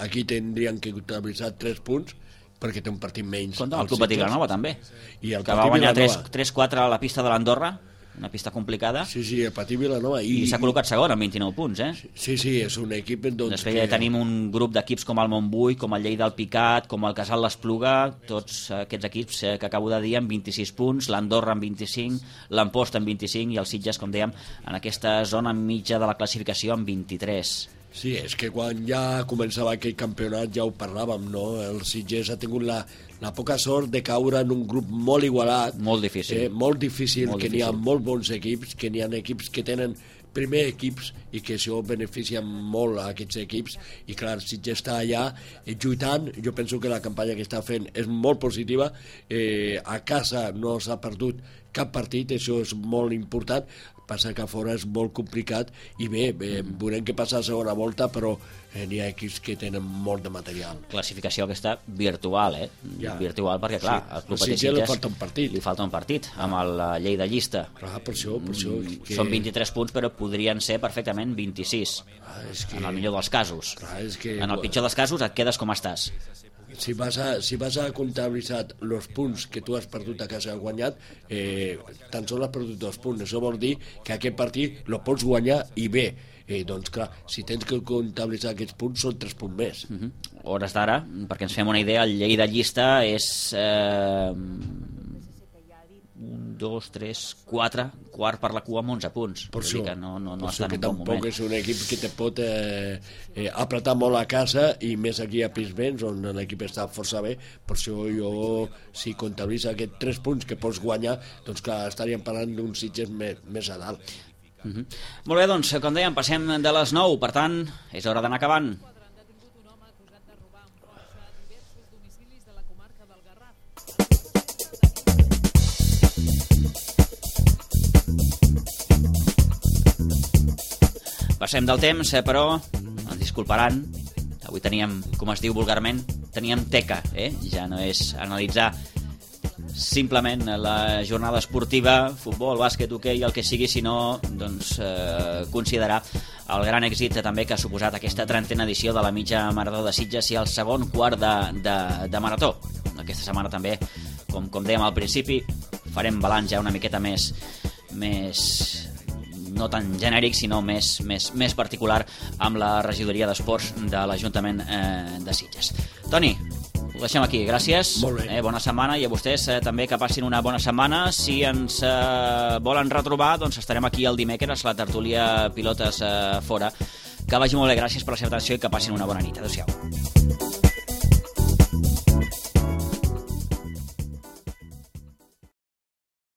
Aquí tindrien que comptabilitzar 3 punts perquè té un partit menys. Compte el Club Patí Vilanova també, que va guanyar 3-4 a la pista de l'Andorra, una pista complicada. Sí, el Patí Vilanova. I s'ha col·locat segon amb 29 punts, Sí, és un equip... Després tenim un grup d'equips com el Montbui, com el Lleida del Picat, com el Casal l'Espluga, tots aquests equips que acabo de dir amb 26 punts, l'Andorra amb 25, l'Amposta amb 25 i el Sitges, com dèiem, en aquesta zona mitja de la classificació amb 23. Sí, és que quan ja començava aquest campionat ja ho parlàvem, no? El Sitges ha tingut la poca sort de caure en un grup molt igualat. Molt difícil. Que n'hi ha molt bons equips, que n'hi ha equips que tenen primer equips i que això beneficia molt a aquests equips, i clar, Sitges està allà lluitant. Jo penso que la campanya que està fent és molt positiva, a casa no s'ha perdut cap partit, això és molt important. Passa que a fora és molt complicat, i bé, veurem què passa a la segona volta, però n'hi ha equips que tenen molt de material. Classificació aquesta virtual, virtual, perquè clar, al Club Patí Sitges li falta un partit amb el Lleida llista. Clar, per això Són 23 punts, però podrien ser perfectament 26, en el millor dels casos. En el pitjor dels casos et quedes com estàs. Si vas a comptabilitzar els punts que tu has perdut a casa i has guanyat, tan sols has perdut 2 punts. Això vol dir que aquest partit el pots guanyar i bé. Doncs clar, si tens que comptabilitzar aquests punts són 3 punts més. Hores d'ara, perquè ens fem una idea, el llei de llista és 1, 2, 3, 4, quart per la cua amb 11 punts. Per això, no està en en un bon moment. Tampoc és un equip que te pot apretar molt a casa, i més aquí a Pinsbens, on l'equip està força bé. Per això jo, si comptabilitza aquests 3 punts que pots guanyar, doncs clar, estaríem parlant d'uns Sitges més a dalt. Molt bé, doncs, com dèiem, passem de les 9, per tant, és hora d'anar acabant. Passem del temps, però ens disculparan, avui teníem, com es diu vulgarment, teníem teca, ja no és analitzar simplement la jornada esportiva, futbol, bàsquet, hoquei, el que sigui, sinó doncs, considerar el gran èxit també que ha suposat aquesta 30a edició de la mitja marató de Sitges i el segon quart de marató. Aquesta setmana també, com dèiem al principi, farem balanç ja una miqueta més no tan genèric, sinó més particular amb la regidoria d'esports de l'Ajuntament de Sitges. Toni, ho deixem aquí, gràcies. Molt bé. Bona setmana, i a vostès també que passin una bona setmana. Si ens volen retrobar, doncs estarem aquí el dimecres, la tertúlia Pilotes Fora. Que vagi molt bé, gràcies per la seva atenció i que passin una bona nit. Adéu-siau.